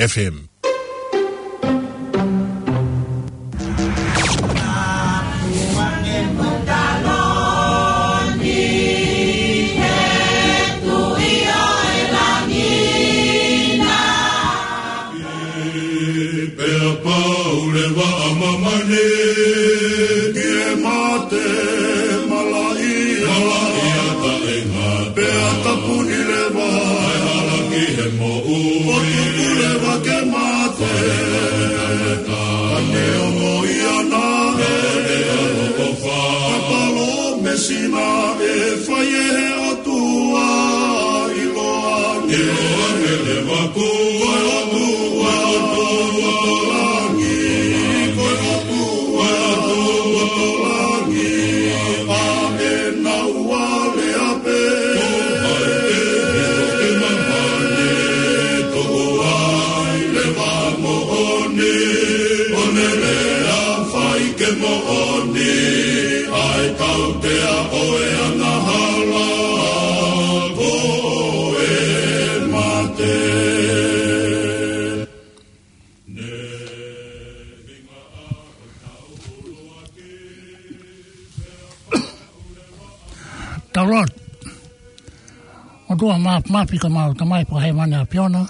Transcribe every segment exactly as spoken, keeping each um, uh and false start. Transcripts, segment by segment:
F M. Pea pau leva ʻa māmani ki he mate malaʻia, malaʻia taʻengata. Pea tāpuni leva ʻa e hala ki he moʻui, ʻo tuku leva ke mate. Ka neongo ia naʻe ʻofa, ka palōmesi naʻe fai ʻe he ʻOtua ʻi loange. ʻI loange leva ko e ʻOtua, ʻOtua ʻo langi, ko e ʻOtua, ʻOtua ʻo langi, ʻa ʻenau alea pē. Ko hai pē ʻi he māmani ʻe tuʻu ai leva moʻoni, ʻo ne lea fai ke moʻoni ʻa e tautea ʻo e angahala ko e mate. Tau lotu. ʻOtua Māfimafi, ko ʻemau Tamai Fakahēvani ʻAfiona,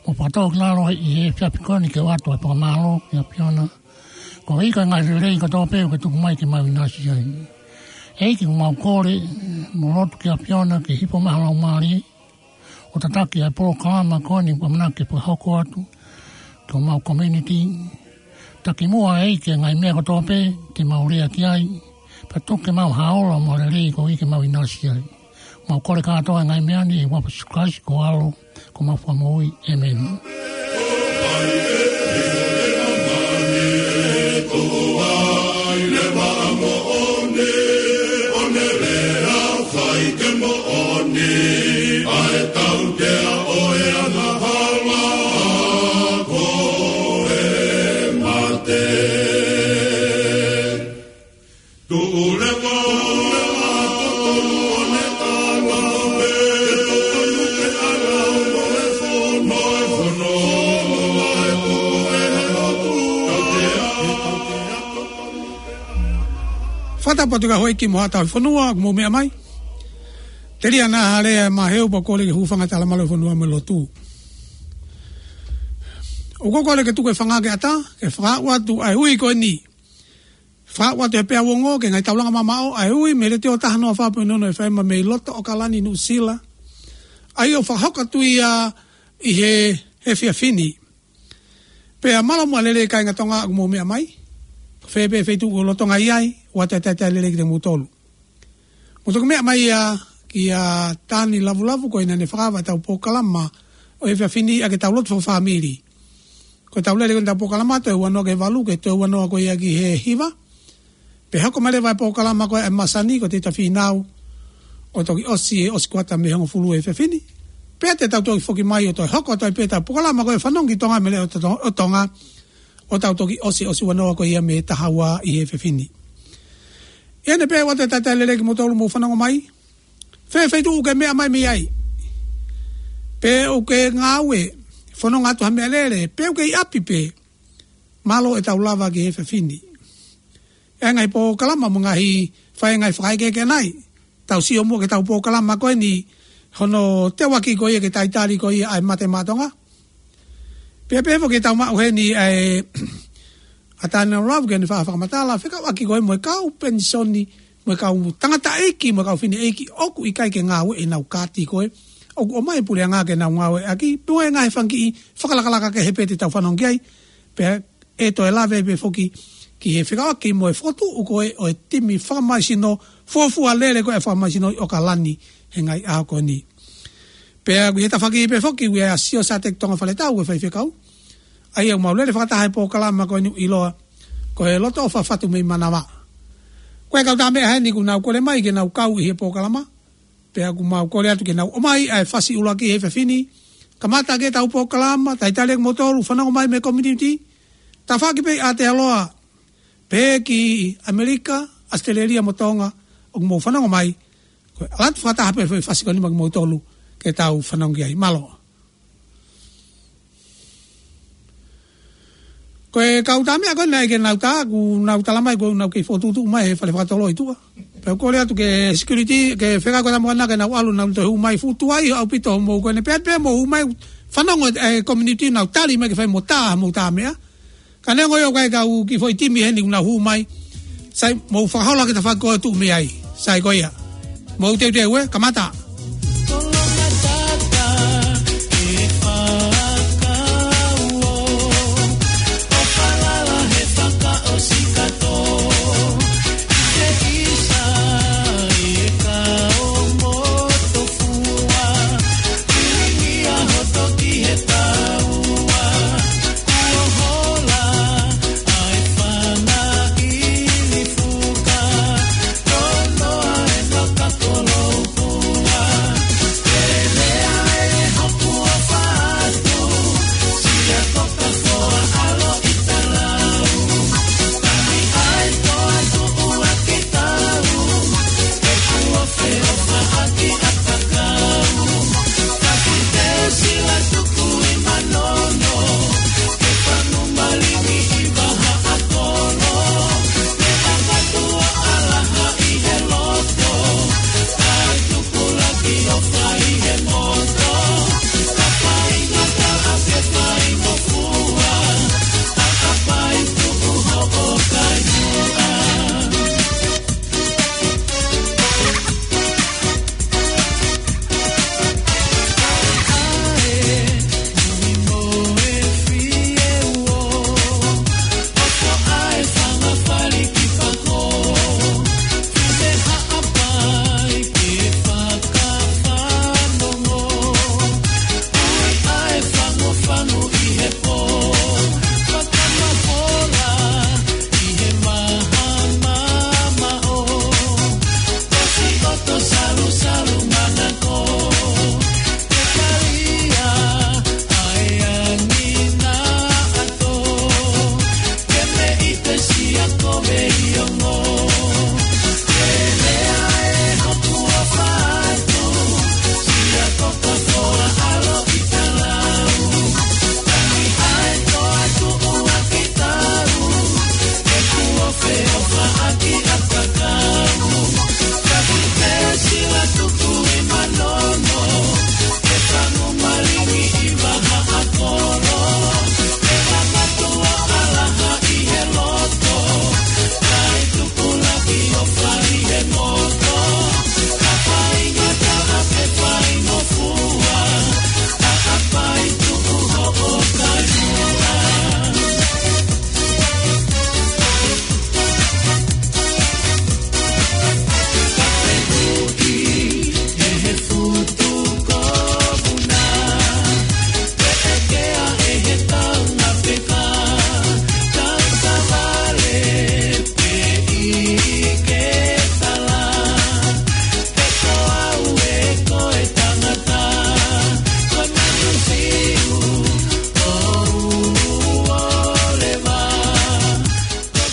ʻoku fakatōkilalo ʻi he efiafi ko eni ke ʻoatu ʻa e fakamālō ki he ʻAfiona. Koeʻuhi ko e ngaahi lelei kotoa pē ʻoku ke tuku mai ke mau ʻinasi ai. ʻEiki, ʻoku mau kole mo lotu ki he ʻAfiona ke hifo mai ho Laumālie ʻo tataki ʻa e polokalama ko eni ʻoku ʻamanaki ke fakahoko atu ki homau community. Taki muʻa ʻEiki ʻa e ngaahi meʻa kotoa pē te mau lea ki ai, pea tuku ke mau ʻi ha ola mo e lelei koeʻuhi ke mau ʻinasi ai. Mau kole kātoa ʻa e ngaahi meʻa ni ʻi he huafa ʻo Sīsū Kalaisi ko ho ʻAlo, ko homau Fakamoʻui. ʻĒmeni. Fakatapu atu ki he houʻeiki mo haʻa tauhi fonua ʻoku mou meʻa mai. Telia naʻa hale ʻa e maheu pea kole ke hūfanga he talamalu ʻo e fonua mo e lotu. ʻOku ou kole ke tuku e fanga ke ʻatā, ke fakaaʻu atu ʻa e ui ko eni. Fakaaʻu atu he peau ongo ki he ngaahi taulanga mamaʻo ʻa e ui mei he Letiō taha noa fā poini ono F M mei loto ʻAokalani, Nuʻusila. ʻA ia ʻoku fakahoko atu ia ʻi he, he efiafi ni. Pea mālō muʻa e lelei kāinga Tonga ʻoku mou meʻa mai. Ko fē pē feituʻu ʻoku lolotonga ʻi ai, ʻoatu e talitali lelei kiate kimoutolu. Mou toki meʻa mai ia kia Tani Lavulavu ko ia naʻa ne fakaava ʻetau polokalama ʻo e efiafi ni ʻaki ʻetau lotu fakafāmili. Ko ʻetau lele ko eni ʻetau polokalama toe ua noa ki he valu, ki he toe ua noa ko ia ki he hiva. Pea hoko mai leva e polokalama ko ē ʻa e masani ko e Tita Fīnau ʻo toki ʻosi e ʻosi kuata mei he hongofulu he efiafi ni. Pea te tau toki foki mai ʻo toe hoko atu ai pē ʻetau polokalama ko e Fanongo ki Tonga mei he Leʻo ʻo To-, ʻo Tonga, ʻo tau toki ʻosi, ʻosi ua noa ko ia mei he taha ua ʻi he efiafi ni. ʻI heʻene pehē ʻoatu e talitali lelei kimoutolu mou fanongo mai. Fē feituʻu ʻoku ke meʻa mai mei ai, pe ʻoku ke ngāue, fononga atu ha meʻalele, pe ʻoku ke ʻi ʻapi pē, mālō ʻetau lava ki he efiafi ni. ʻI he ngaahi polokalama mo e ngaahi, fai e ngaahi fakaʻekeʻeke ʻanai, tau sio muʻa ki heʻetau polokalama ko eni, hono teuaki ko ia ki he talitali ko ia ʻa e mate maʻa Tonga. Pea pehē foki ʻetau maʻu heni ʻa e, ʻa Tani Lavulavu ke ne faʻa fakamatala fekauʻaki ko ē mo e kau penisoni, mo e kau tangataʻeiki, mo e kau fineʻeiki ʻoku ʻikai ke ngāue ʻenau kaati ko ē, ʻoku ʻomai e puleʻanga ke nau ngāueʻaki, pea mo e ngaahi fanga kiʻi fakalakalaka kehe pē te tau fanongo ki ai. Pea ʻe toe lave pē foki ki he fekauʻaki mo e fokotuʻu ko ē ʻo e timi fakamaisino, fuofua lele ko ē fakamaisino ʻi ʻAokalani he ngaahi ʻaho ko eni. Pea ʻoku ʻi he tafaʻaki pē foki ʻa Siosateki Tonga Faletau ko e faifekau. ʻA ia ʻoku mau lele fakataha he polokalama ko eni ʻoku ʻiloa ko e Loto ʻOfa Fatu mei Manava. Ko e kau tā meʻa heni ʻoku nau kole mai ke nau kau ʻi he polokalama. Pea ʻoku mau kole atu ke nau ʻomai ʻa e fasi ʻuluaki he efiafi ni. Kamata ʻaki ʻetau polokalama, talitali ʻaki kimoutolu, fanongo mai mei he community. Tafaʻaki pē ʻi Aotearoa, pehē ki ʻAmelika, ʻAositelēlia mo Tonga, ʻoku mou fanongo mai. Ko e ʻalu atu fakataha pē foʻi fasi ko eni maʻa kimoutolu, ke tau fanongo ki ai. Mālō. Ko e kau tā meʻa ko ē naʻe ʻikai ke nau tā, kuo nau tala mai kuo nau kei fokotuʻutuʻu mai he fale fakatolo ʻi tuʻa. Pea u kole atu ki he security, ki he fekau ko ē tā moana ke nau ʻalu, nau toe hū mai. Fuʻu tuai ʻaupito hoʻomou ko eni, pea, pea mou hū mai, fanongo e community nau tali mai ke fai mo tā, mou tā meʻa. Ka neongo ia ʻoku ʻikai ke u kiʻi foʻi timi heni kuo nau hū mai. Sai, mou fakahola ki he tafaʻaki ko ē ʻoku tuʻu mei ai. Sai ko ia. Mou teuteu ē, kamata.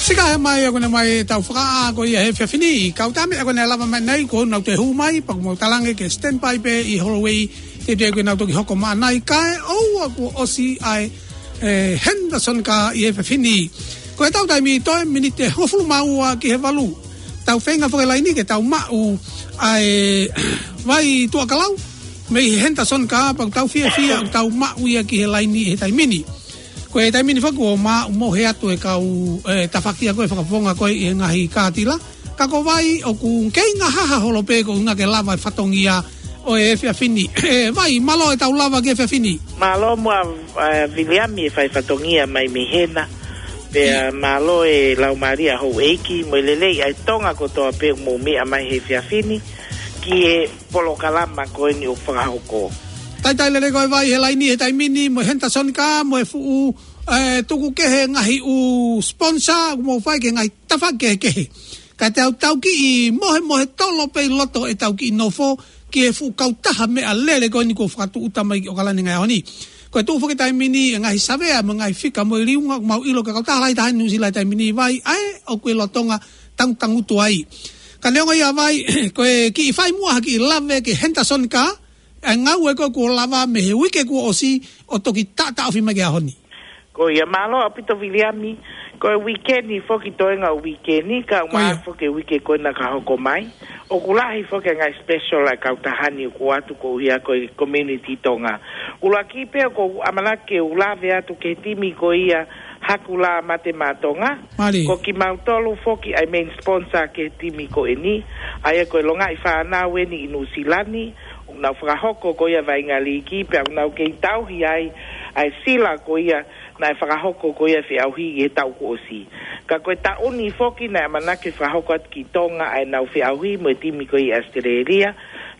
Sika he mai, ʻoku ne mai tau fakaʻā ko ia he efiafi ni. Kau tā meʻa ʻoku ne lava mai nai, kuo nau toe hū mai, pea ʻoku mau talange ke standby pē ʻi hallway, teuteu ke nau toki hoko mai nai, kae ʻoua kuo ʻosi ʻa e, e, Henderson Car ʻi he efiafi ni. Ko e tau taimi toe miniti ʻe hongofulu mā ua ki he valu. Tau feinga foki laini ke tau maʻu ʻa e vai tuʻa kalau mei he Henderson Car, pea ʻoku tau fiefia ʻoku tau maʻu ia ki he laini he taimi ni. Ko e taimi ni foki ʻoku maʻu mohe atu e kau, e, tafaʻaki ko ē fakafofonga ko ē ʻi he ngaahi kātila. Ka ko vai ʻoku kei ngahaha holo pē ko e ʻuhinga ke lava e fatongia ʻo e efiafi ni. E, vai, mālō e tau lava ki he efiafi ni. Mālō muʻa, e, Viliami e fai fatongia mai mei hena. Pea mālō e laumālie ʻa houʻeiki mo e lelei ʻa e Tonga kotoa pē ʻoku mou meʻa mai he efiafi ni ki he polokalama ko eni ʻoku fakahoko. Talitali lelei ko e vai he laini he taimi ni mo e Henderson Car mo e fuʻu, e, tuku kehe ngaahi ʻū sponsor ʻoku mou fai ki he ngaahi tafaʻaki kehekehe. Ka te u tau kiʻi mohemohe tolo pē ʻi loto ʻetau kiʻi nofo ki he fuʻu kautaha meʻalele ko eni kuo fakatūʻuta mai ki ʻAokalani he ngaahi ʻaho ni. Ko e tuʻu foki he taimi ni e ngaahi savea mo e ngaahi fika mo e liunga ʻoku mau ʻilo ko e kautaha lahi taha ʻi Nuʻu Sila he taimi ni, vai, ʻa ē ʻoku e lolotonga tangutangutu ai. Ka neongo ia, vai, ko e kiʻi fai muʻa ha kiʻi lave ki he Henderson Car, ʻa e ngāue ko ē kuo lava mei he uike kuo ʻosi ʻo toki taʻotaʻofi mai ki he ʻaho ni. Ko ia, mālō ʻaupito Viliami. Ko e uike ni foki, toenga uike ni, ka ʻoku Ko ia. Mālō foki e uike ko ena ka hoko mai. ʻOku lahi foki e ngaahi special ʻa e kautaha ni ʻoku ʻoatu koeʻuhi ko e community Tonga. ʻUluaki pē ʻoku ou ʻamanaki ke u lave atu ki he timi ko ia Hakulā Mate Maʻa Tonga. Mālie. Ko kimautolu foki ʻa e main sponsor ki he timi ko eni. ʻA ia ko e longaʻi fānau eni ʻi Nuʻusila ni, ʻoku nau fakahoko ko ia vaʻinga līki, pea ʻoku nau kei tauhi ai ʻa e sila ko ia naʻe fakahoko ko ia feʻauhi ʻi he taʻu kuo ʻosi. Ka ko e taʻu ni foki naʻe ʻamanaki fakahoko atu ki Tonga ʻa ʻenau feʻauhi mo e timi ko ia ʻAositelēlia.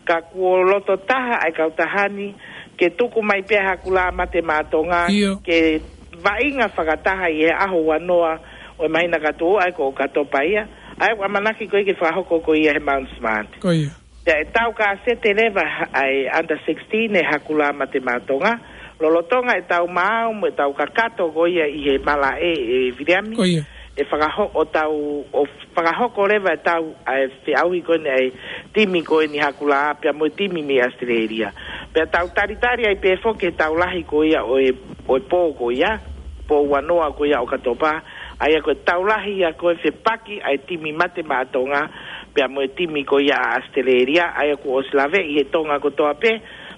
Ka kuo loto taha ʻa e kautaha ni ke tuku mai pē Hakulā Mate Maʻa Tonga ʻIo. ke vaʻinga fakataha ʻi he ʻaho uanoa ʻo e māhina ka tuʻu, ʻa ia ko ʻOkatopa ia. ʻA ia ʻoku ʻamanaki ko ia ke fakahoko ko ia he Mount Smart. Ko ia. Pea ʻe tau kasete leva ha-, ʻa e under sixteen ʻe Hakulā Mate Maʻa Tonga. Lolotonga ʻetau maau mo ʻetau kakato ko ia ʻi he malaʻe ʻe Viliami. Ko ia. ʻE fakaho-, ʻo tau, ʻo fakahoko leva ʻetau, ʻa e feʻauhi ko eni ʻa e timi ko eni Hakulā pea mo e timi mei ʻAositelēlia. Pea tau talitali ai pē foki he tau lahi ko ia ʻo e, ʻo e pō ko ia, pō uanoa ko ia ʻOkatopa. ʻA ia ko e tau lahi ia ko e fepaki ʻa e timi Mate Maʻa Tonga pea mo e timi ko ia ʻa ʻAositelēlia, ʻa ia kuo ʻosi laveʻi he Tonga kotoa pē,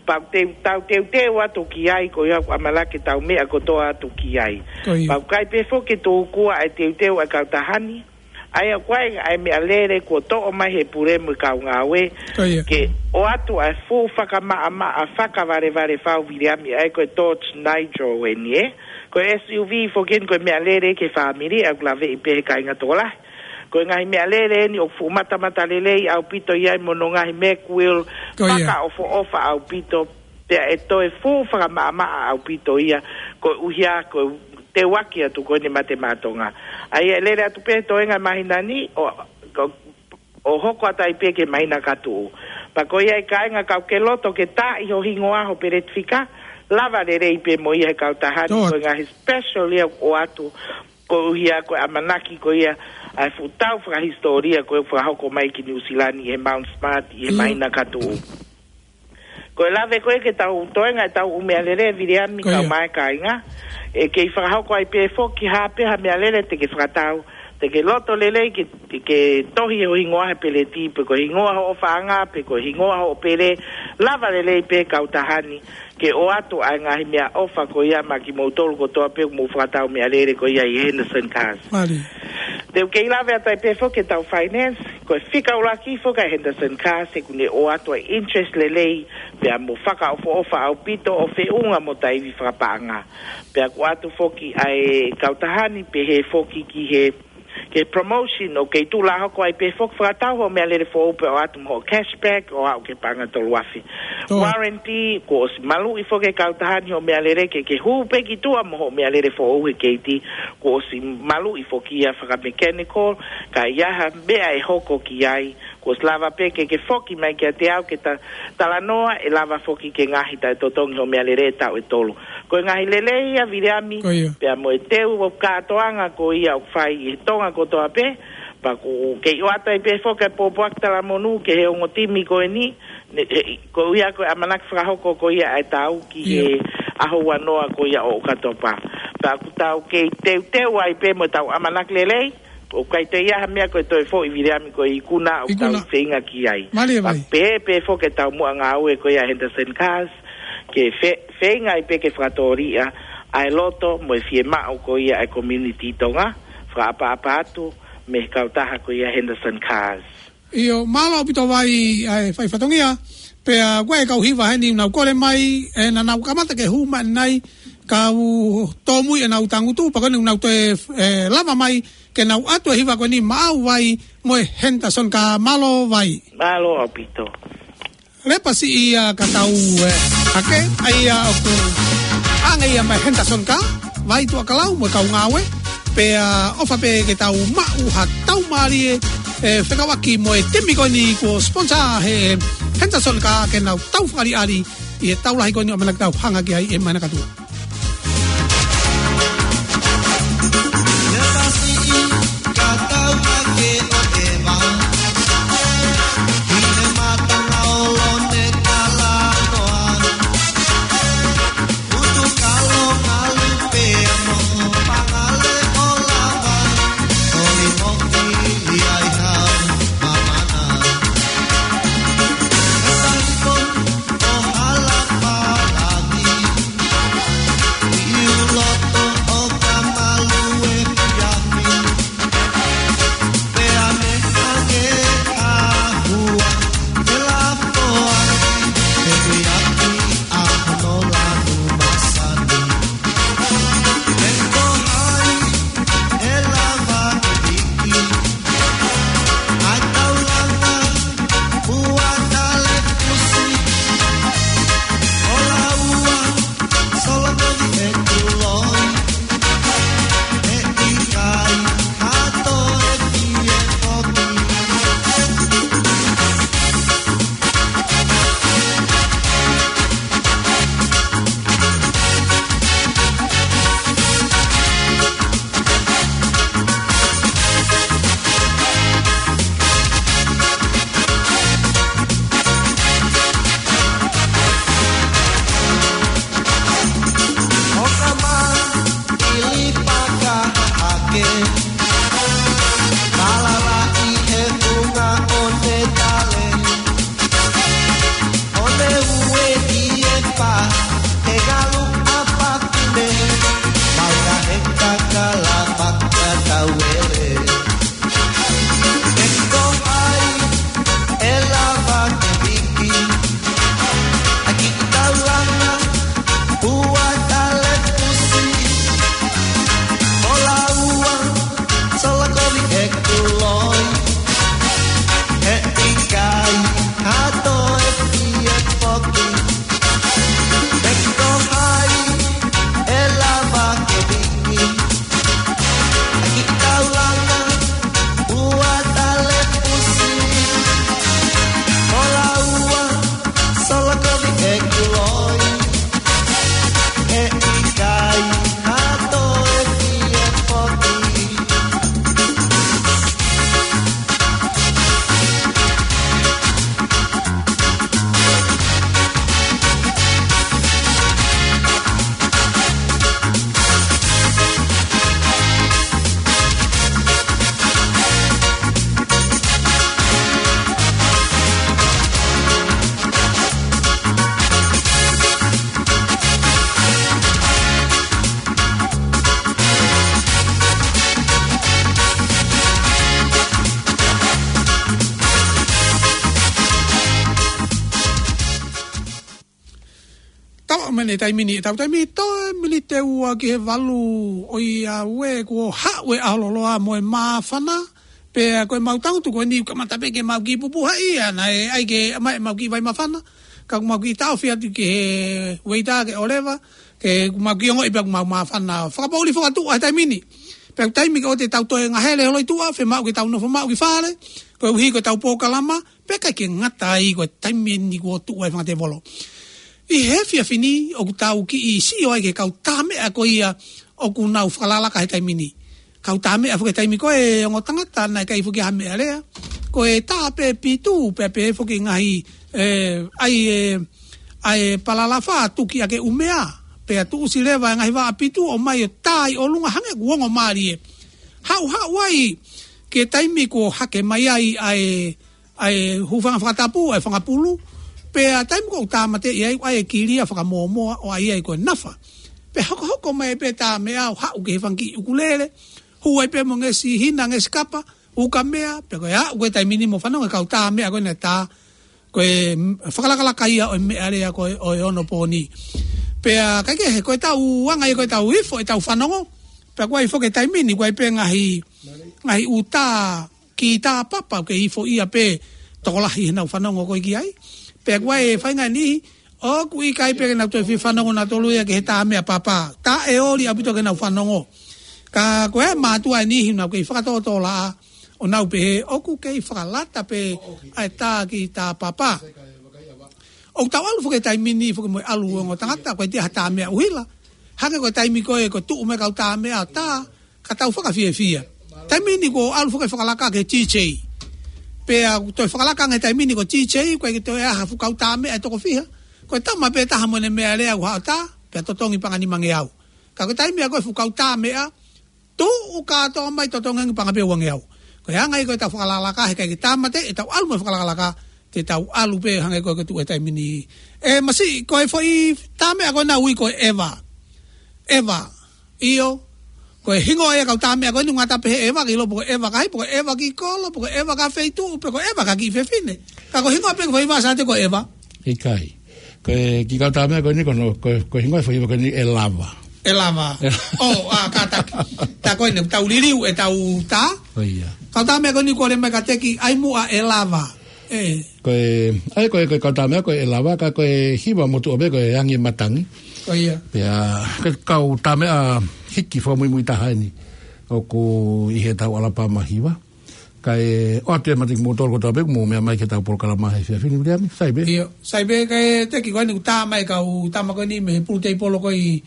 pea ʻoku teu-, tau teuteu atu ki ai, ko ia ʻoku ʻamanaki ke tau meʻa kotoa atu ki ai. Ko ia. Pea ʻoku ʻikai pē foki ke tōkua ʻa e teuteu ʻa e kautaha ni, ʻa ia ʻoku ʻi ai ʻa e meʻalele kuo toʻo mai he pule mo e kau ngāue, Ko ia. ke ʻoatu ʻa e fuʻu fakamaʻamaʻa fakavalevale fau Viliami, ʻa ia ko e Dodge Nitro eni ē. Ko e S U V foki eni, ko e meʻalele ki he fāmili, ʻa ia ʻoku laveʻi pē he kāinga tokolahi. Ko e ngaahi meʻalele eni ʻoku fuʻu matamata lelei ʻaupito ʻi ai mo hono ngaahi Mack Wheel Ko ia. fakaʻofoʻofa ʻaupito, pea ʻe toe fuʻu fakamaʻamaʻa ʻaupito ia, koeʻuhi ko e teuaki atu ko eni Mate Maʻa Tonga. ʻA ia ʻe lele atu pē toenga māhina ni, ʻo, ʻo, ʻo hoko atu ai pē ki he māhina ka tuʻu. Pea ko ia e kāinga, kapau ʻoku ke loto ke taaʻi ho hingoa, ho peleti fika, lava lelei pē mo ia he kautaha ni, Tō. ko e ngaahi special ia ʻoku ʻoatu, koeʻuhi ko e ʻamanaki ko ia ʻa e fuʻu tau fakahisitōlia ko ē ʻoku fakahoko mai ki Nuʻusila ni he Mount Smart ʻi he ʻIo. māhina ka tuʻu. Ko e lave ko ē ke tau toenga ʻetau ʻū meʻalele Viliami Ko ia. kau mai kāinga, ʻe kei fakahoko ai pē foki ha pē ha meʻalele te ke fakatau, te ke loto lelei ke, ke tohi ho hingoa he peleti, pe ko e hingoa hoʻo faʻahinga, pe ko e hingoa hoʻo pele, lava lelei pē kautaha ni ke ʻoatu ʻa e ngaahi meʻaʻofa ko ia maʻa kimoutolu kotoa pē ʻoku mou fakatau meʻalele ko ia ʻi Henderson Cars. Mālie. Te u kei lave atu ai pē foki ʻetau finance, ko e fika ʻuluaki foki ʻa e Henderson Cars, ʻoku ne ʻoatu ʻa e interest lelei, pea mo fakaʻofoʻofa ʻaupito ʻo feʻunga mo taimi fakapaʻanga. Pea ʻoku ʻoatu foki ʻa e kautaha ni pehē foki ki he, ki he promotion ʻoku kei tuʻu lā hoko ai pē foki, fakatau hoʻo meʻalele foʻou pea ʻoatu mo hoʻo cashback ʻo aʻu ki he paʻanga tolu afe. Tō. Warranty, kuo ʻosi maluʻi foki e kautaha ni hoʻo meʻalele ke, ke hū pē ki tuʻa mo hoʻo meʻalele foʻou he keiti, kuo ʻosi maluʻi foki ia faka-mechanical, ka ʻi ai ha meʻa ʻe hoko ki ai, kuo ʻosi lava pē ke, ke foki mai kiate au ke ta-, talanoa, ʻe lava foki ke ngaahi taʻetotongi hoʻo meʻalele taʻu ʻe tolu. Ko e ngaahi lelei ia Viliami, Ko ia. pea mo e teu ʻo kātoanga ko ia ʻoku fai ʻi he Tonga kotoa pē, pea ʻoku kei ʻoatu ai pē foki e pōpoaki talamonū ki he ongo timi ko eni, ne, he, koeʻuhi ko e ʻamanaki fakahoko ko ia ʻa e tau ki ʻIo. he ʻaho uanoa ko ia ʻo ʻOkatopa. Pea ʻoku tau kei teuteu ai pē mo ʻetau ʻamanaki lelei, ʻoku ʻikai toe ʻi ai ha meʻa ko e toe foʻi Viliami, ko e ikuna ʻoku tau Ikuna. feinga ki ai. Mālie Pea vai. pehē pē foki ʻetau muʻa ngāue ko ia Henderson Cars, ke fe-, feinga ai pē ke fakatōliʻa ʻa e loto mo e fiemaʻu ko ia ʻa e community Tonga, fakaʻapaʻapa atu mei he kautaha ko ia Henderson Cars. ʻIo, mālō ʻaupito vai ʻa e fai fatongia, pea ko e kau hiva heni ʻoku nau kole mai, ʻe naʻa nau kamata ke hū mai ʻanenai, kau tōmui ʻenau tangutu, pea ko eni ʻoku nau toe, ʻe, lava mai, ke nau ʻoatu e hiva ko eni Maʻau Vai mo e Henderson Cars, mālō vai. Mālō ʻaupito. Lepa siʻi ia ka tau, ʻe, hake, ʻa ia ʻoku ʻange ia mei Henderson Cars, vai tuʻa kalau mo e kau ngāue, pea ʻofa pē ke tau maʻu ha tau mālie, ʻe, fekauʻaki mo e timi ko eni kuo sponsor he Henderson Cars ke nau tau fakaʻaliʻali ʻi he tau lahi ko eni ʻoku ʻamanaki tau hanga ki ai he māhina ka tuʻu. Mene taimi ni, tau taimi toe miniti ua ki he valu ʻo e ʻaho, kuo haʻu e ʻaho loloa mo e māfana, pea ko e mau tangutu ko eni kamata pē ke mau kiʻi pupuhaʻi, ʻa ia naʻe ʻai ke ʻomai ʻemau kiʻi vai māfana, ka ʻoku mau kiʻi taʻofi atu ki he ueita ke ʻoleva, ke mau kiʻi ongoʻi pea ʻoku mau māfana. Fakapoʻuli fakatuʻa he taimi ni. Pea ko e taimi ko ē te tau toe ngahele holo ʻi tuʻa, fiemaʻu ke tau nofo maʻu ki fale, koeʻuhi ko ʻetau polokalama, pea ʻikai ke ngata ai ko e taimi ni kuo tuʻu ai fanga tēvolo. ʻI he efiafi ni, ʻoku tau kiʻi sio ai ki he kau tā meʻa ko ia ʻoku nau fakalakalaka he taimi ni. Kau tā meʻa foki he taimi ko ē, ongo tangata, naʻe ʻikai foki ha meʻalea. Ko e tā pē pitu, pea pehē foki ngaahi, ē, ʻai e, ʻai e palalafa tuki ʻaki e ʻumea. Pea tuʻusi leva e ngaahi vaʻa pitu ʻo ʻomai ʻo tā ʻi ʻolunga hangē ʻoku ongo mālie. Haʻuhaʻu ai ki he taimi kuo hake mai ai ʻa e ʻa e hūfanga fakatapu, ʻa e fanga pulu, pea taimi ko ē ʻoku tāmateʻi ai, ʻai e kilia fakamōmoa ʻo ʻai ai ko e nafa. Pea hokohoko mai pē tā meʻa ʻo haʻu ki he fanga kiʻi ʻukulele, hū ai pē mo e ngesi hina, ngesi kapa, ukamea, pea ko e aʻu ko ē taimi ni mo fanongo e kau tā meʻa ko ē naʻe tā, ko e, mm, fakalakalaka ia ʻo e meʻalea ko ē ʻo e onopōni. Pea ʻikai ke he ko ʻetau anga ia ko ʻetau ifo, ʻetau fanongo, pea ko e ifo ki he taimi ni, ko e pē ngaahi, ngaahi ʻū tā, kiʻi tā papa, ʻoku kei ifo ia pē tokolahi heʻenau fanongo ko ē ki ai. Pea ko e faʻahinga ni, ʻoku ʻikai pē ke nau toe fie fanongo nautolu ia ki he tā meʻa papa. Taʻeoli ʻaupito ke nau fanongo. Ka ko e mātuʻa ʻe niʻihi ʻoku nau kei fakatōtōlaʻa, ʻo nau pehē, ʻoku kei fakalata pē ʻa e tā kiʻi tā papa. ʻOku tau ʻalu foki he taimi ni foki mo e ʻalu ongo tangata, ko e ʻikai ha tā meʻa ʻuhila. Hangē ko e taimi ko ē, ko e tuʻu mai e kau tā meʻa tā, ka tau fakafiefia. Taimi ni kuo ʻalu foki e fakalaka ki he D J. Pea ʻoku toe fakalaka ange he taimi ni ko e D J, ʻoku ʻikai ke toe ʻi ai ha fuʻu kau tā meʻa ʻe toko fiha. Ko e tama pē taha mo ʻene meʻalea ʻoku haʻu ʻo tā, pea totongi paʻanga ʻe nimangeau. Ka ko e taimi ia ko e fuʻu kau tā meʻa, tuʻu kātoa mai totongi ange paʻanga pē ʻe uangeau. Ko e anga ia ko ʻetau fakalakalaka, he ʻikai ke tāmateʻi ʻetau ʻalu mo e fakalakalaka, te tau ʻalu pē hangē ko ē ko e tuʻu he taimi ni. ʻE Masiʻi, ko e foʻi tā meʻa ko ena ʻoku ui ko e ʻeva. ʻEva. ʻIo. Ko e hingoa ia e kau tā meʻa ko eni ʻoku ngata pē he ʻeva ki lalo pe ko e ʻeva ki he ʻapi, pe ko e ʻeva ki kolo, pe ko e ʻeva ki he feituʻu, pe ko e ʻeva ki he kiʻi fefine. Ka ko e hingoa pē ko e foʻi vasa te ko e ʻeva. ʻIkai. Ko e kiʻi kau tā meʻa ko eni ko hono, ko e, ko e hingoa e foʻi hiva ko eni ʻe lava. ʻE lava. ʻE lava. ʻO, ʻa, kātaki. Tā ko eni, tau liliu ʻetau tā. ʻO ia. Kau tā meʻa ko eni ko e lele mai kiate ki ai muʻa ʻe lava. ʻE. Ko e, ʻa ia ko e, ko e kau tā meʻa ko e ʻe lava, ka ko e hiva motuʻa pē ko e angi e matangi. ʻO ia. Pea, ko e kau tā meʻa hiki fakamuimui taha eni. ʻOku ʻi heʻetau ʻAlapama hiva. Kae ʻoatu e mātaki kimoutolu kotoa pē ʻoku mou meʻa mai ki heʻetau polokalama he efiafi ni, Viliami, sai pē. ʻIo, sai pē, kae teki ko eni ʻoku tā mai e kau tama ko eni mei he pulu teipolo ko ē ʻi,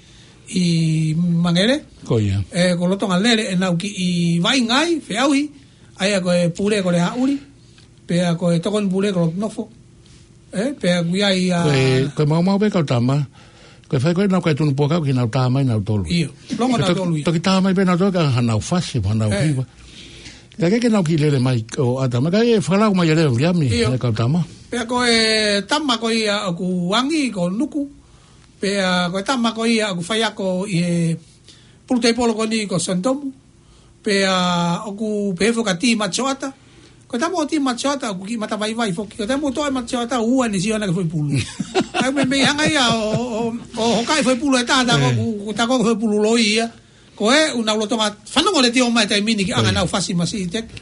ʻi Mangele. Ko ia. ʻE, ko e lolotonga lele ʻenau kiʻi vaʻinga ai, feʻauhi, ʻa ia ko e pule ko Leaʻuli, pea ko e tokoni pule ko Lotonofo. ʻE, pea ʻoku ʻi ai ʻa Ko e, ko e maumau pē kau tama. Ko e fai ko ē naʻa nau kai tunu puaka ʻoku nau tā mai nautolu. ʻIo, longo Ko e to-, nautolu ia. Toki tā mai pē nautolu ka hanau fasi, mo hanau ʻE. hiva. Ka ke ke nau kiʻi lele mai ʻo ʻata mai, ka ʻe fakalau mai e lele Viliami, ʻIo. ʻe kau tama. Pea ko e tama ko ia ʻoku angi ko Nuku. Pea ko e tama ko ia ʻoku faiako ʻi he pulu teipolo ko eni ko Santomu. Pea ʻoku pehē foki kia Tī Matioata. Ko e tama ʻo Tī Matioata ʻoku kiʻi mata vaivai foki. Ko e tama ʻoku toʻo ʻe Matioata ʻo ua ʻene sio ʻana ki he foʻi pulu. ʻA ia meimei hanga ia ʻo, ʻo, ʻo hokaʻi e foʻi pulu ʻe taha, tā ko ʻoku, tā ko ʻoku foʻi pulu loi ia. Ko ē ʻoku nau lolotonga fanongo letiō mai he taimi ni ki he anga ʻenau fasi masiʻi teki.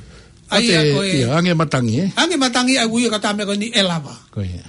ʻA ia ko e ʻIo, angi e matangi, ē? Angi e matangi ʻa e ui ʻa e kau tā meʻa ko eni ʻe lava. Ko ia.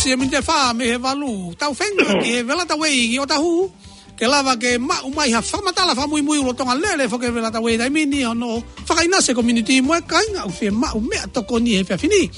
Siʻi miniti ʻe fā mei he valu. Tau feinga ki he Velataway ʻi ʻŌtāhuhu ke lava ke maʻu mai ha fakamatala fakamuimui ʻa e lolotonga lele foki ʻa e Velataway he taimi ni, hono fakaʻinasi e community mo e kāinga ʻoku fiemaʻu meʻatokoni he efiafi ni.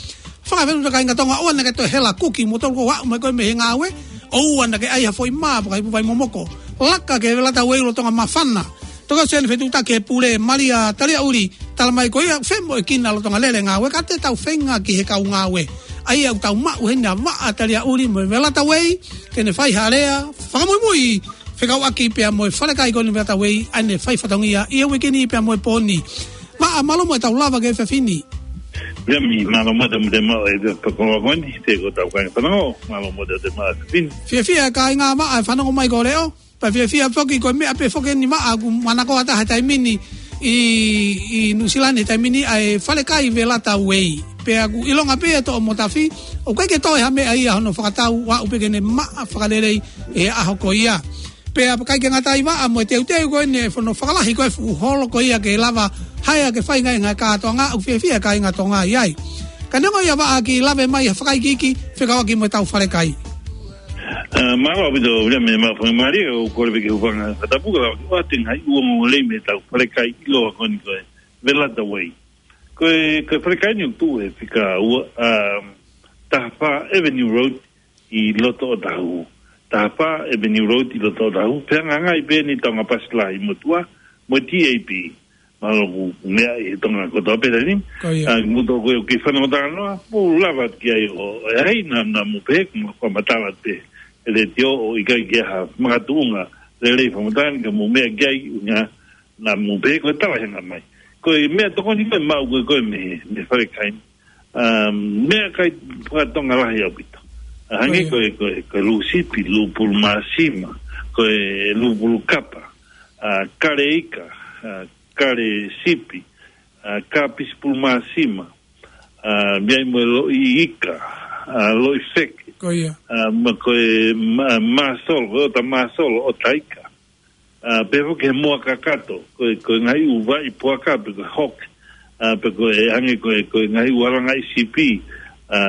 Fakafetaʻi kāinga Tonga, ʻoua naʻa ke toe hela kuki, mou tolu ʻo aʻu mai ko ē mei he ngāue, ʻoua naʻa ke ʻai ha foʻi mā pe ko ha ipu vai momoko. Laka ki he Velataway lolotonga māfana. Toki ʻosi ʻene fetuʻutaki ʻe he pule, Malia Taliaʻuli, talamai ko ia ʻoku femoʻuekina e lolotonga lele e ngāue, ka te tau feinga ki he kau ngāue. ʻA ia ʻoku tau maʻu heni ʻa Vaʻa Taliaʻuli mo e Velataway ke ne fai ha lea fakamuimui fekauʻaki pea mo e falekai ko eni Velataway, ʻa ʻene fai fatongia ʻi he uike ni pea mo e pō ni. Vaʻa, mālō mo ʻetau lava ki he efiafi ni. Ia mi, mālō mo te mute mau e pekoloa ko eni, te ko tau kāinga fanongo, mālō mo te mute mau e efiafi ni. Fiefia e kāinga Vaʻa e fanongo mai ko e leʻo. Pea fiefia foki ko e meʻa pē foki eni Vaʻa ʻoku manako ʻa e taha he taimi ni ʻi, ʻi Nuʻusila ni he taimi ni ʻa e falekai Velataway. Pea ʻoku ʻilonga pē ʻe toʻo mo tafi, ʻoku ʻikai ke toe ha meʻa ia hono fakatau, ʻoku aʻu pē ke ne maʻa fakalelei he ʻaho ko ia. Pea ʻikai ke ngata ai Vaʻa mo e teuteu ko eni e fono fakalahi ko e fuʻu holo ko ia ke lava hea ke fai ngaahi kātoanga, ʻoku fiefia e kāinga Tonga ʻi ai. Ka neongo ia Vaʻa, ke lave mai ha fakaikiiki fekauʻaki mo ʻetau falekai. ʻA, mālō ʻaupito, Viliami, mo e faingamālie, ʻoku ou kole pē ke u hūfanga he fakatapu, ka lava ke ʻoatu e ngaahi ongoongo lelei mei heʻetau falekai ʻiloa ko eni ko e Velataway. Ko e, ko e falekai ni ʻoku tuʻu he fika ua, ʻa, taha fā Avenue Road ʻi loto ʻŌtāhuhu. Taha fā Avenue Road ʻi loto ʻŌtāhuhu. Fehangahangai pē eni Tonga Pasi Lahi motuʻa mo e T A P. Mahalo ʻoku meaʻi ʻe he Tonga kotoa pē taimi ni. Ko ia. ʻA, mou tolu ko ē ʻoku ke fanongo talanoa, mou lava ki ai ʻo, ʻe ʻi ai ha meʻa naʻa mou pehē, mou fakamatala atu he letiō ʻo ʻikai ke ʻi ai ha makatuʻunga lelei fakamatala ni ka mou meʻa ki ai, ʻuhinga naʻa mou pehē ko e tala he ngaahi mai. Ko e meʻatokoni ko ē maʻu ko ē ko ē mei, mei he falekai ni. ʻA, meʻakai faka-Tonga lahi ʻaupito. ʻA, hangē Ko ia. ko e, ko e, ko e lū sipi, lū pulu māsima, ko e lū pulu kapa, ʻa, kale ika, ʻa, kale sipi, ʻa, kapisi pulu māsima, ʻa, meʻa ai mo e loʻi ika, ʻa, loʻi feke. Ko ia. ʻA, mo e ko e mā-, māsolo, ko e ʻota māsolo, ʻota ika. ʻA, pehē foki ki he moa kakato, ko e, ko e ngaahi ʻū vaʻi puaka pe ko e hawk, ʻa, pe ko e hangē ko e, ko e ngaahi ʻū alangaʻi sipi, ʻa,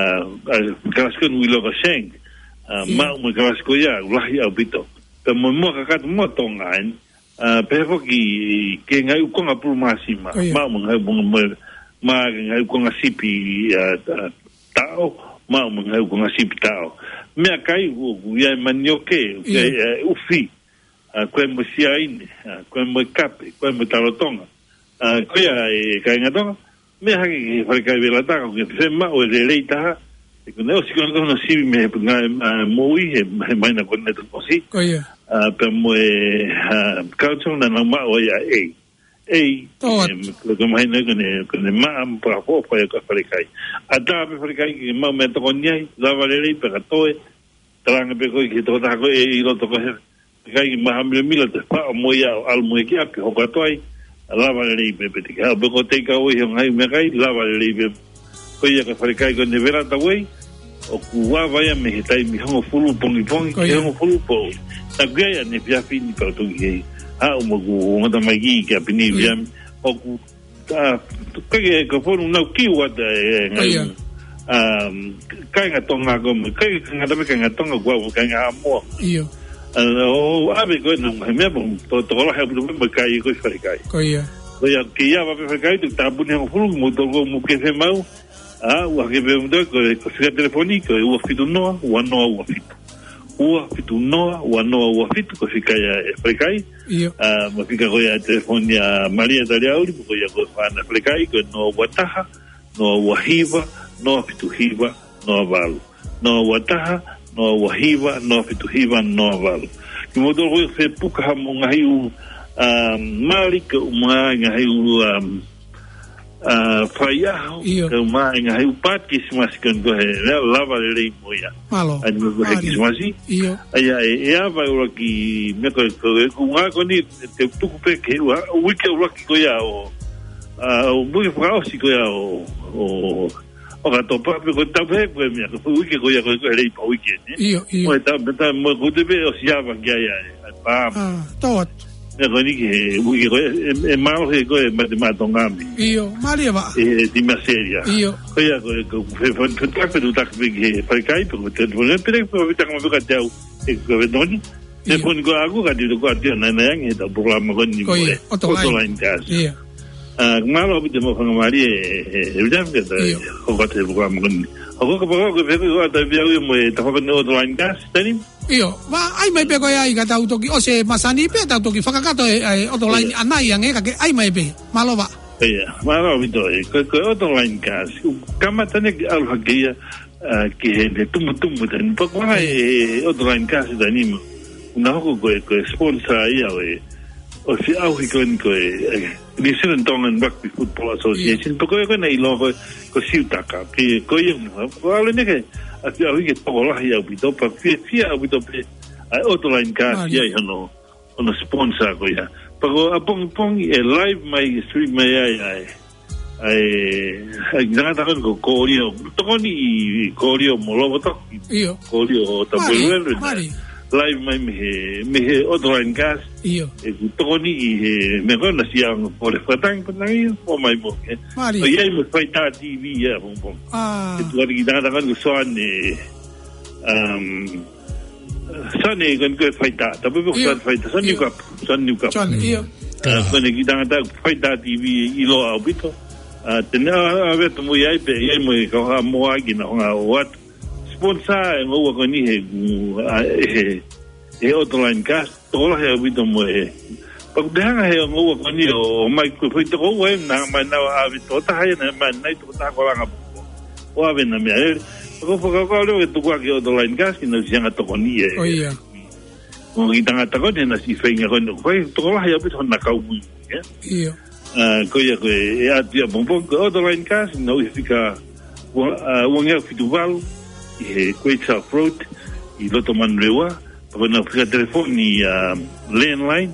ʻa, kalasi ko eni ʻoku ʻiloa ko e shank, ʻa, Ia. maʻu mo e kalasi ko ia, lahi ʻaupito. Pea mo e moa kakato, moa Tonga eni, ʻa, pehē foki ki he ngaahi ʻū konga pulu māsima, Ko ia. maʻu mo e ngaahi, mo, mo, mo e ngaahi ʻū konga sipi, ʻa, ʻa, taʻo, maʻu mo e ngaahi ʻū konga sipi taʻo. Meʻakai ʻoku, ʻoku ʻi ai e manioke, ʻoku ʻi ai Ia. e ʻufi, ʻa, ko e mo e siaine, ʻa, ko e mo e kape, ko e mo e talotonga. ʻA, ko ia e kāinga Tonga, meʻa hake ki he falekai Velata, ʻoku ke fiemaʻu e lelei taha, ʻe ko ʻene ʻosi ko ē hono sivi mei he ngaahi, ʻa, moʻui, he, he māhina ko eni naʻe toki ʻosi. Ko ia. ʻA, pea mo e, ʻa, culture naʻa nau maʻu ai ʻa e. Ei, Tō atu. em, ko e māhina ko eni, ko eni maʻa mo e fakaʻofoʻofa ia ko e falekai. ʻAtā pē falekai ke maʻu meʻatokoni ai, lava lelei pea ka toe, talaange pē koe ki he tokotaha ko ē ʻi loto ko ē he falekai ke maha milamila, toe faʻo mo ia ʻo ʻalu mo ia ki ʻapi, hoko atu ai, lava lelei pē, pea te ke haʻu pē ʻo take away hoʻo ngaahi meʻakai, lava lelei pē. Ko ia ko e falekai ko eni Velataway, ʻoku ava ia mei he taimi hongofulu pongipongi Ko ki ia. hongofulu pō. Naʻa ku ʻi ai ʻaneefiafi ni pea toki haʻu mo ʻeku ongo tamaiki ki ʻapi ni Ko ia. Viliami. ʻOku, ʻa, ʻikai ke, ko e fonu naʻa ku kiu atu e, e, Ko ia. um, kāinga Tonga ko ē, ʻikai ke ngata pē kāinga Tonga, ko au kāinga Haʻamoa. ʻIo. ʻA, ʻo ʻave ko ē naʻa ku ngaahi meʻa, mo to-, tokolahi ʻaupito mo e kai ko e falekai. Ko ia. Ko ia, ke ʻi ai ha ʻave falekai, te u tāpuni hongofulu, mou tolu ko ē ʻoku mou kei fiemaʻu. ʻA, ʻoku hake pē mo toe, ko e, ko e fika telefoni, ko e ua fitu noa, ua noa ua fitu. Ua fitu noa, ua noa ua fitu, ko e fika ia e falekai. ʻIo. ʻA, mo e fika ko ia e telefoni ʻa Malia Taliauli, ko ia ko e fānau falekai, ko e noa ua taha, noa ua hiva, noa fitu hiva, noa valu. Noa ua taha, noa ua hiva, noa fitu hiva, noa valu. Kimoutolu ko ē ʻoku fepuka haʻamou ngaahi ʻū, um, mali, kae ʻumaʻā e ngaahi ʻū, um, uh, faiʻaho, ʻIo. kae ʻumaʻā e ngaahi ʻū paati Kilisimasi ko eni, ko e lea lava lelei mo ia. Mālō. ʻA ia ko e Mālō. Kilisimasi. ʻIo. ʻA ia ʻe, ʻe ava e ʻuluaki meʻa ko ē, ko e, ko e ʻuhinga ko eni, te u tuku pē ki he ua, uike ʻuluaki ko ia ʻo, ʻa, ʻo uike fakaʻosi ko ia ʻo, ʻo, ʻo ʻOkatopa, pe ko e tapu he ko e meʻa, ko e uike ko ia ko e, ko e Leipa Weekend, ē? ʻIo, ʻio. Mo e ta-, mo e ta-, mo e ko e te pē ʻosi ava ki ai ʻa e, ʻa e paam. ʻA, tō atu. Meʻa ko eni ki he uike ko ē, ē, ē mālohi ko ē mate maʻa Tonga mei. ʻIo, mālie vā. ʻE, ʻe Timasēlia. ʻIo. Ko ia ko ē, ko e fe-, fe-, fetake, fetake pē ki he falekai, pe ko e telefoni, pe ko e fetake mo fekate au, ʻe ko e fetoni. ʻIo. Telefoni ko ʻaku, ka tito ko ʻaku, naʻe, naʻe ange he ʻetau polokalama ko eni mo e. Ko ia, ʻOto Laini. ʻOto Laini Kasi. ʻIo. ʻA, mālō ʻaupito mo e fanga mālie, ē, ē, ʻio. Hoko atu he polokalama ko eni. Hoko ka paka ko e pehē ko e ʻata pē au ia mo e tafaʻaki ʻo e ʻOto Laini Kasi, Tani? ʻIo, vā, ʻai mai pē ko ia ʻi ka tau toki ʻosi e masani pē tau toki fakakakato e, e ʻOto Laini ʻIo. ʻAnai ange ka ke ʻai mai pē. Mālō vā. ʻIo, mālō ʻaupito ē. Ko, ko e ʻOto Laini Kasi. ʻOku kamata eni ke ʻalu hake ia, ʻa, ki he, he tumutumu Tani. Pea ko e, ʻIo. e, e ʻOto Laini Kasi Tani mo. Naʻe hoko ko e, ko e sponsor ia ʻo e, ʻo e feʻauhi ko eni ko e, e, New Zealand Tongan Rugby Football Association. ʻIo. Pea ko ia ko ē naʻe ʻiloa ko e, ko Siutaka. Pea ko ia, ko e ʻalu eni ke, ʻa, feʻauhi ke tokolahi ʻaupito, pea fiefia ʻaupito pē, ʻa e ʻOto Laini Kasi Mālie. ia ʻi hono, hono sponsor ko ia. Pea ko ʻapongipongi ʻe live mai, stream mai ai, ʻa e, ʻa e, ʻa e tangata ko eni ko Kolio. Tokoni ʻi Kolio mo Lovotoki. ʻIo. Kolio ʻo Mālie, Tapueluelu. Mālie. Live mai mei he, mei he ʻOto Laini Kasi. ʻIo. ʻOku tokoni ʻi he, meʻa ko ē naʻe ʻosi ʻaonga ko e fakatangi, fakatangi, ʻo mai mo e. Mālie. ʻOku ʻi ai mo e Faitā TV ia, pong, pong. ʻA. ʻE tuʻu atu ki he tangata ko eni ko Soane, um, Soane ko eni ko e Faitā, tapu pē ko ʻIo. Soane Faitā, Soane ʻIo. Niukapu, Soane Niukapu. Soane, ʻio. ʻA, ko eni ki he tangata Faitā TV ʻiloa ʻaupito. ʻA, te ne ʻa, ʻave atu mo ia ai pē, ʻi ai mo e kau Haʻamoa ki na honga o atu. Sponsor e ngoue ko eni he, ʻa, he, he ʻOto Laini Kasi, tokolahi ʻaupito mo e. Pea ʻoku te hanga he ngoue ko eni ʻo mai ko e foʻi toko ua ē, naʻe ʻomai naua ʻave tokotaha ia, naʻe ʻomai nai tokotaha ko Langapuko. ʻO ʻave na meʻalele. Pea ʻoku ou fakakaukau leva ke tuku hake ʻOto Laini Kasi, naʻa ʻosi hanga tokoni ē. ʻIo. Ko e kiʻi tangata ko eni naʻe ʻosi feinga ko eni ʻo fai, tokolahi ʻaupito hona kau muimui, ē? ʻIo. ʻA, ko ia ko e, ʻe ʻatu ia pong, pong, ko e ʻOto Laini Kasi, naʻe ʻi he fika ua, ʻa, ua ngeau fitu valu, ʻi he Great South Road, ʻi loto Manurewa, pea ko ʻenau fika telefoni, ʻa, landline,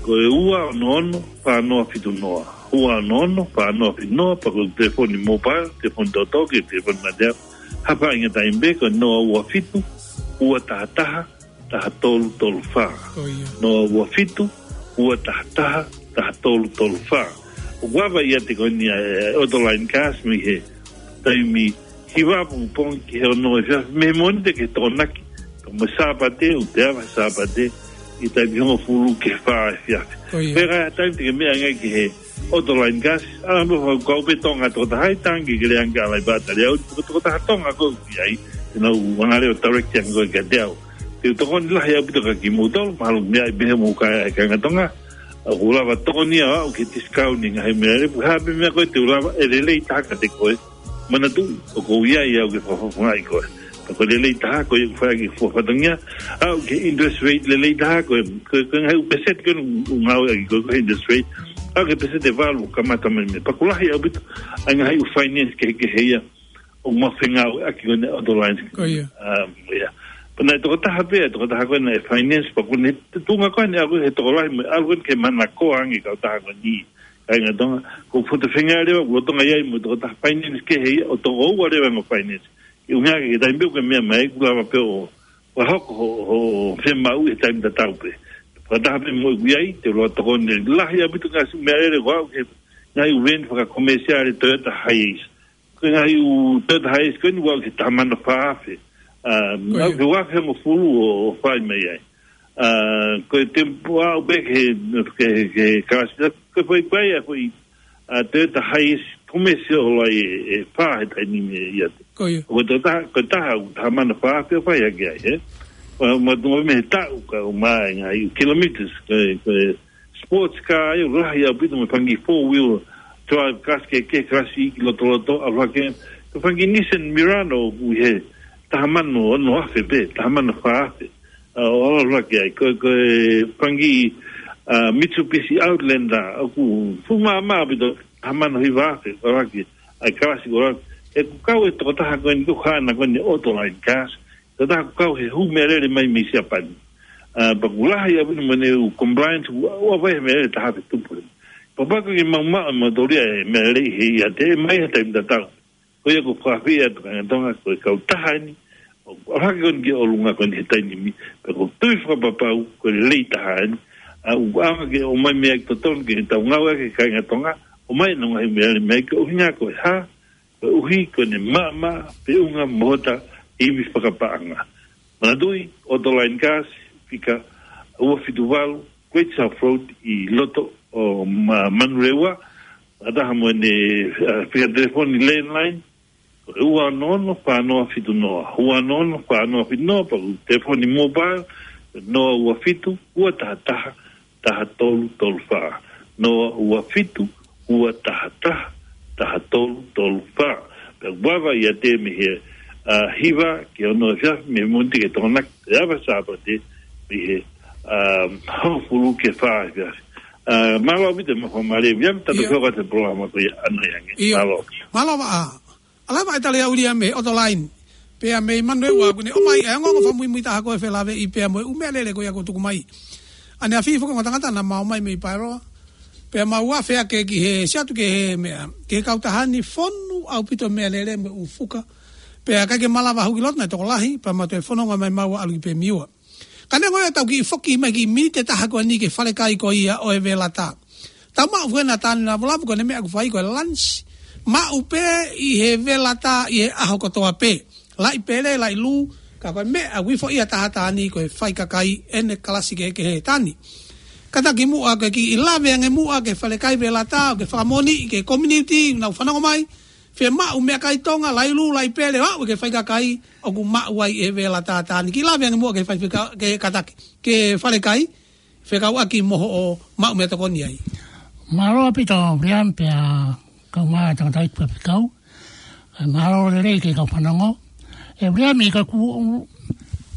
ko e ua ono ono, fā noa fitu noa. Ua ono ono, fā noa fitu noa, pea ko e telefoni mobile, telefoni tōtō, ki he telefoni mate au. Haʻapaʻanga taimi pē, ko e noa ua fitu, ua taha taha, taha tolu tolu fā. Ko ia. Noa ua fitu, ua taha taha, taha tolu tolu fā. ʻOku ʻave ia ʻiate ko eni ʻa e, ʻOto Laini Kasi mei he taimi hiva pongipongi ki he ono efiafi, mei he Mōnite ki he Tokonaki. Pea mo e Sāpate, ʻoku te ʻave Sāpate, ʻi he taimi hongofulu ki he fā efiafi. Ko ia. Pea ka taimi te ke meʻa ange ki he ʻOto Laini Kasi, ʻa, mo fakakaukau pē Tonga tokotaha ʻi tangi ke lea ange ʻa Laivata Leau, ko e tokotaha Tonga ko ē ʻi ai, te nau anga leva ʻo direct ange ko ē kiate au. Te u tokoni lahi ʻaupito kia kimoutolu, mahalo meʻa ʻi pehē mo ka e kāinga Tonga, ʻoku lava tokoni au ki he discount ʻi he ngaahi meʻalele, pea ko e hā pē meʻa ko ē te u lava ʻe lelei taha kiate koe. Manatuʻi, ʻoku ou ʻi ai au ke fakafofongaʻi koe. Pea ko e lelei taha, ko ia ʻoku fai ʻaki e fatongia, ʻa, ʻoku ʻi ai e interest rate lelei taha, ko e, ko e, ko e ngaahi ʻū peseti ko ē ʻoku ngāueʻaki ko ē, ko e interest rate, ʻa, ko e peseti ʻe valu ʻoku kamata mai mei ai. Pea ʻoku lahi ʻaupito ʻa e ngaahi ʻū finance kehekehe ia ʻoku mau fengāueʻaki ko eni ʻOto Laini. Ko ia. ʻA, ia. Pea naʻe tokotaha pē, tokotaha ko ē naʻe finance, pea ko ʻene tuʻunga ko eni ʻa ia ko e tokolahi mo e ʻalu ko eni ke manakoa ange e kautaha ko eni. Kāinga Tonga, ko e foto fengāueʻaki leva, ko Tonga ʻi ai mo e tokotaha finance kehe ia, ʻo toko ua leva e ongo finance. ʻI he ʻuhinga ki he taimi pē ʻoku ke meʻa mai, ʻoku lava pē ʻo, ʻo hoko hoʻo, hoʻo fiemaʻu he taimi tatau pē. Fakataha pē mo ʻeku ʻi ai, te u lava tokoni lahi ʻaupito ki he ngaahi meʻalele ko ē ʻoku ʻi he ngaahi ʻū veni fakakomēsiale Toyota Hiace. Ko e ngaahi ʻū Toyota Hiace ko eni ʻoku ʻi ai ki he taha mano fā afe. ʻA, Ko ia. ʻoku ʻi ai ki he ua afe hongofulu ʻo, ʻo fai mai ai. ʻA, ko e temipale ʻoku pehē ki he, ki he, ki he kalasi, ko e foʻi pai ʻa e foʻi, ʻa, Toyota Hiace commercial ʻoku lahi ʻe, ʻe fā he taimi ni ʻiate. Ko ia. Ko e taha, ko e taha, taha mano fā afe ʻo fai hake ai, ē? Mo, mo, mo e meʻa he taʻu ka ʻomai e ngaahi kilometers, ko e, ko e sports car ia ʻoku lahi ʻaupito mo e fanga kiʻi four wheel drive, kalasi kehekehe, kalasi iiki lotoloto, ʻalu hake. Ko e fanga kiʻi Nissan Murano ʻoku ʻi he taha mano ono afe pē, taha mano fā afe. ʻA, ʻo ʻalu hake ai. Ko, ko e fanga kiʻi, ʻa, Mitsubishi Outlander, ʻoku fuʻu maʻamaʻa ʻaupito, taha mano hiva afe, ʻalu hake ai kalasi ko ē. ʻOku kau e tokotaha ko eni ko Hana ko eni ʻOto Laini Kasi. Tokotaha ʻoku kau he hū meʻalele mai mei Siapani. ʻA, pea ʻoku lahi ʻaupito mo ʻene ʻū compliance, ʻoku, ʻoku ʻave he meʻalele taha afe tupu. Pea kapau ʻoku ke maʻu maʻu mo tolia e meʻalele he ʻiate, ʻe mai he taimi tatau. Ko ia ʻoku ou fakaafeʻi atu kāinga Tonga, ko e kautaha eni, ʻoku ʻalu hake ko eni ki ʻolunga ko eni he taimi ni, pea ʻoku ou tui fakapapau, ko e lelei taha eni, ʻA, ʻoku ʻaonga ke ʻomai meʻa ʻoku totonu ke tau ngāueʻaki ʻe he kāinga Tonga, ʻomai ʻenau ngaahi meʻa, meʻa ke ʻuhinga ko e hā, koeʻuhi ko ʻene maʻamaʻa pe ʻunga mo hota ivi fakapaʻanga. Manatuʻi, ʻOto Line Gas, fika ua fitu valu, Great South Road ʻi loto ʻo Ma-, Manurewa, fakataha mo ʻene, ʻa, fika telefoni landline, ko e ua ono ono fā noa fitu noa, ua ono ono fā noa fitu noa, pe ko e telefoni mobile, noa ua fitu, ua taha taha, taha tolu tolu fā, noa ua fitu, ua taha taha, taha tolu tolu fā. Pea ʻoku vave ia te mei he, ʻa, hiva ki he ono efiafi, mei he Mōnite ki he Tokonaki, ʻe ava Sāpate, mei he, ʻa, hongofulu ki he fā efiafi. ʻA, mālō ʻaupito mo e fakamālō, ia, tatou Ia. Fio ka te polokalama ko ia ano ange. Ia. Mālō. Mālō ʻaupito. ʻA, lava ʻe Taliaʻuli ia mei ʻOto Line. Pea mei Manurewa ʻoku ne ʻomai ʻa e ongoongo fakamuimui taha ko e felāveʻi pea mo e ʻū meʻalele ko ia kuo tuku mai. ʻAneafi foki ongo tangata naʻa mau ʻomai mei Paeroa. Pea mau afe ake ki he siatu ki he meʻa, ki he kautaha ni, fonu ʻaupito meʻalele mo e ʻū fuka. Pea ʻikai ke malava huki loto naʻe tokolahi, pea mau toe fononga mai mau ʻalu ki Pemiua. Ka neongo ia, tau kiʻi foki mai ki he miniti ʻe taha ko eni ki he falekai ko ia ʻo e Velata. Tau maʻu fue na tani na volavu ko ʻene meʻa ʻoku fai ko e lunch. Maʻu pē ʻi he Velata ʻi he ʻaho kotoa pē. Laʻi pele, laʻi lū, ka ko e meʻa ʻoku ifo ia taha tani ko e faikakai ʻene kalasi kehekehe tani. Kātaki muʻa ke kiʻi lave ange muʻa ki he falekai Velata, ʻo ke fakamoʻoniʻi ki he community, nau fanongo mai, fiemaʻu meʻakai Tonga, laʻi lū, laʻi pele, ʻo aʻu ki he faikakai, ʻoku maʻu ai ʻe he Velata tani. Kiʻi lave ange muʻa ki he fai fika-, ki he kātaki, ki he falekai, fekauʻaki mo hoʻo maʻu meʻatokoni ai. Mālō ʻaupito, Brian, pea kau mai tangata i kua pekau. ʻE, mālō lelei ki he kau fanongo. ʻE, Brian, ʻi ka ku,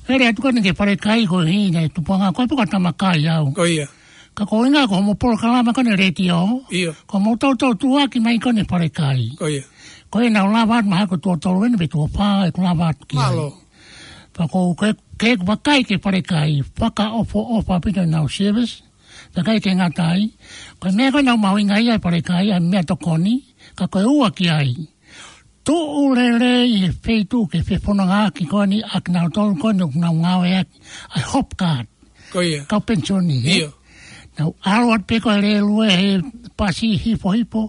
ʻe lea atu ko eni ki he falekai ko e hina e tupuʻanga, ko e puka tamakai au. Ko ia. Ka ko e ʻuhinga ko hoʻomo polokalama ko eni letiō. Ia. Ko hoʻomo toutou tuʻuaki mai ko eni falekai. Ko ia. Ko ia naʻa ku lava atu mahalo ko e tuʻo tolu eni pe tuʻo fā ʻeku lava atu ki ai. Mālō. Pea ko e, ke, ke vakai ki he falekai, fakaʻofoʻofa ʻaupito ʻenau service, pea ʻikai ke ngata ai. Ko e meʻa ko ē naʻa ku mahuʻingaʻia ai falekai, ʻa e meʻatokoni, ka ko e ua ki ai. Tuʻu lelei he feituʻu ke fefonongaʻaki ko eni ʻa kinautolu ko eni ʻoku nau ngāueʻaki ʻa e hop card. Ko ia. Kau penisioni, ē? Ia. Nau ʻalu atu pē ko e lēlue he pasi hifohifo,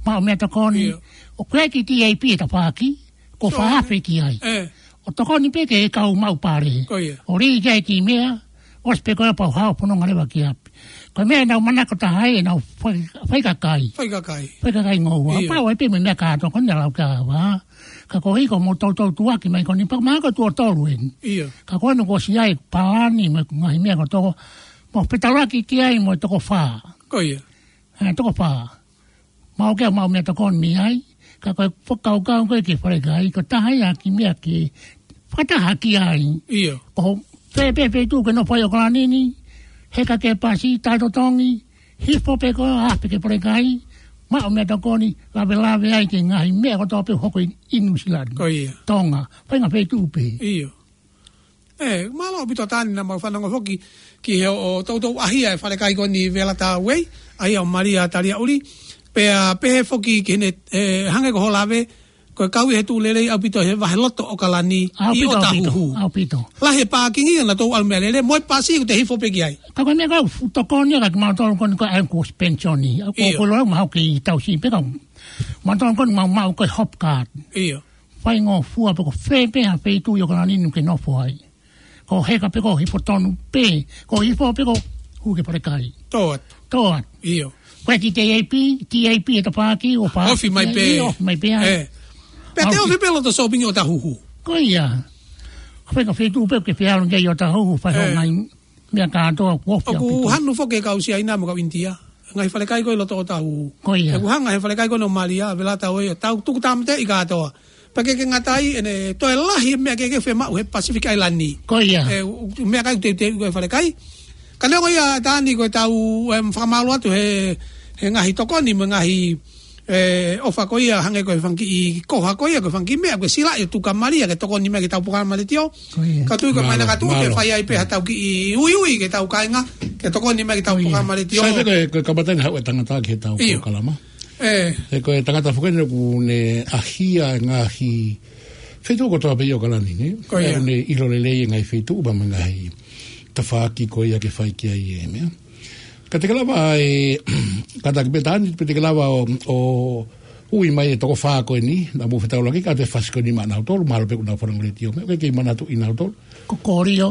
maʻu meʻatokoni. Ia. ʻOku ʻikai ke T A P ʻe tafaʻaki, ko Sio. Faafe ki ai. Ē. ʻO tokoni pē ki he kau maʻu pale. Ko ia. ʻO lī ki ai ki meʻa, ʻosi pē ko ia pea u hao fononga leva ki ʻapi. Ko e meʻa naʻa ku manako taha ai, ʻenau fai, faikakai. Faikakai. Faikakai ngoua. Ia. Pau ai pē mo e meʻa kātoa ko eni naʻa ku lau ki ai. Ka ko e ʻuhi ko hoʻomo toutou tuʻuaki mai ko eni pea mahalo ko e tuʻo tolu eni. Ia. Ka ko eni kuo ʻosi ʻi ai e palani mo e ngaahi meʻa kotoa. Mo fetaulaki ki ai mo e toko fā. Ko ia. Ē, toko fā. Maʻu ke maʻu meʻatokoni mei ai. Ka ko e fakakaukau ko ē ki he falekai, ko e taha ia e kiʻi meʻa ke fakataha ki ai. Ia. Ko fē pē feituʻu ke nofo ai ʻi ʻOkalani ni, heka ki he pasi, taʻetotongi, hifo pē ko ē ʻo afe ki he falekai, maʻu meʻatokoni, lavelave ai ki he ngaahi meʻa kotoa pē ʻoku hoko ʻi, ʻi Nuʻusila ni. Ko ia. Tonga, faʻahinga feituʻu pē. Ia. Ē, mālō ʻaupito Tani naʻa mau fanongo foki ki hoʻo toutou ʻahia e falekai ko eni Velata Way, ʻahia ʻo Malia Taliaʻuli, pea pehē foki ki heʻene, ē, hangē ko hoʻo lave, ko e kau ʻi he tuʻu lelei ʻaupito he vahe loto ʻo ʻOkalani ʻi ʻAupito, ʻaupito, ʻOtahuhu. ʻAupito. Lahi e pākingi ʻa nautolu ʻalu meʻalele, mo e pasi ʻoku te hifo pē ki ai. Ka ko e meʻa ko ē ʻoku tokoni ʻa kimautolu ko eni ko e ʻaengu ko e penisioni. ʻOku, ʻIo. ʻOku lau mahalo ke ʻi tausi pē ka. Mautolu ko eni mau maʻu ko e hop card. ʻIo. Faingofua pē ko fē pē ha feituʻu ʻi ʻOkalani ni ʻoku ke nofo ai. Ko heka pē ko hifo tonu pē, ko hifo pē ko hū ki he falekai. Tō atu. Tō atu. ʻIo. Ko e kiʻi T A P, T A P ʻe tafaʻaki, ʻo fā. Ofi mai pē. ʻIo, ofi mai pē ai. Ē. Pea te Ofi. Ofi pē loto sōpingi ʻOtahuhu. Ko ia. Ko e faʻahinga feituʻu pē ʻoku ke fie ʻalu ki ai ʻi ʻOtahuhu, fai Ē. Hoʻo ngaahi meʻa kātoa, ʻoku ofi ʻOku ʻaupito. Hanu foki e kau Siaina mo e kau ʻInitia. Ngaahi falekai ko ē ʻi loto ʻOtahuhu. Ko ia. ʻOku hanga he falekai ko eni ʻo Malia, Velata Way, ʻo tau tuku tāmateʻi kātoa. Pea ʻikai ke ngata ai, ʻene toe lahi e meʻa kehekehe ʻoku fiemaʻu he Pacific Island ni. Ko ia. Ē, ʻū, ʻū meʻakai ʻoku teuteuʻi ko ē ʻe he falekai. Ka neongo ia Tani ko ʻetau, em, fakamālō atu he, he ngaahi tokoni mo e ngaahi, ē, ʻofa ko ia hangē ko e fanga kiʻi koha ko ia, ko e fanga kiʻi meʻa, ko e silaʻi ʻo tuku kia Malia ke tokoni mai ki heʻetau polokalama letiō. Ko ia. Ka tui ko e Mālō, maina ka tui ke mālō. Fai ai pē haʻatau kiʻi uiui ki heʻetau kāinga, ke tokoni mai ki heʻetau Ko ia. Polokalama letiō. Sai pē ko e, ko e kamata ʻeni haʻu e tangata ki heʻetau ʻIo. Polokalama. Ē. He ko e tangata foki ʻeni ʻoku ne ʻahia e ngaahi feituʻu kotoa pē ʻi ʻOkalani, nē? Ko ia. ʻOku ne ʻilo lelei e ngaahi feituʻu pea mo e ngaahi tafaʻaki ko ia ke fai ki ai e meʻa. Ka te ke lava ʻe, kātaki pē Tani, pea te ke lava ʻo, ʻo ui mai e toko fā ko eni, naʻa mou fetaulaki, ka te fasi ko eni maʻanautolu, mahalo pē kuo nau fanongo letiō, meʻa ʻoku ʻikai ke manatuʻi nautolu. Ko Kolio.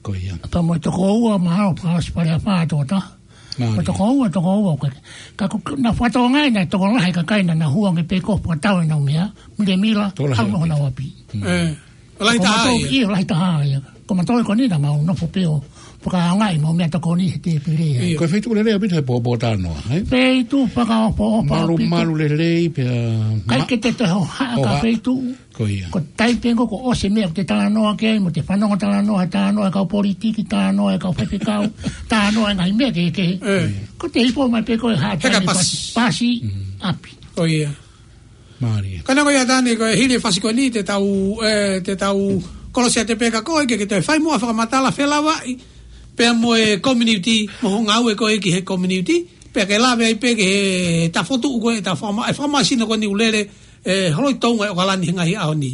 Ko ia. Pea mo e toko ua, mahalo pē ʻosi pale ʻa fā toko taha. Mālie. Ko e toko ua, toko ua, ko e. Ka ko, na fatonga ina tokolahi e kakai naʻa nau hū ange pē ko e fakatau ʻenau meʻa, milemila, tokolahi ʻaupito. Hau no ʻaupito. Hona wapi. Mm. ʻE. Lahi taha ia. Ko mautolu, ʻio, lahi taha ia. Ko mautolu ko eni naʻa mau nofo pē ʻo fakaʻaongaʻi ʻemau meʻatokoni he tēpile ia. ʻIo. Ko e feituʻu lelei ʻaupito he pōpōtalanoa, ē? Feituʻu fakaʻofoʻofa ʻaupito. Malumalu lelei pea ʻikai ke te toe hohaʻa ka hohaʻa. Feituʻu. Ko ia. Ko e taimi pē ko ē kuo ʻosi e meʻa ʻoku te talanoa ki ai, mo te fanongo talanoa, talanoa e kau politiki, talanoa e kau faifekau, talanoa e ngaahi meʻa kehekehe. ʻE. Ko e te hifo mai pē ko e haʻa he ka taimi pasi. Pasi, pasi, Mm. ʻapi. Ko ia. Mālie. Ka neongo ia Tani ko e hili e fasi ko eni te tau, ʻe, te tau kolosi atu pē ka ko e ke, ke te fai muʻa fakamatala felāveʻi pea mo e community mo hoʻo ngāue ko ē ki he community pea ke lave ai pē ki he tafotuʻu ko ē, ta fakama-, e fakamāsino ko eni ʻoku lele, ʻe, holoi Tonga ʻi ʻOkalani he ngaahi ʻaho ni.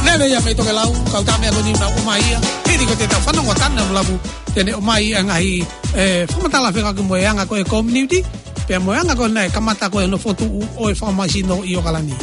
Lele ia mei Tokelau, kau tā meʻa ko eni naʻa ʻomai ia. Hili ko ē te tau fanongo ʻa Tani Lavulavu, te ne ʻomai e ngaahi, ʻe, fakamatala fekauʻaki mo e anga ko ē community, pea mo e anga ko ē naʻe kamata ko ē hono fokotuʻu ʻo e fakamāsino ʻi ʻOkalani.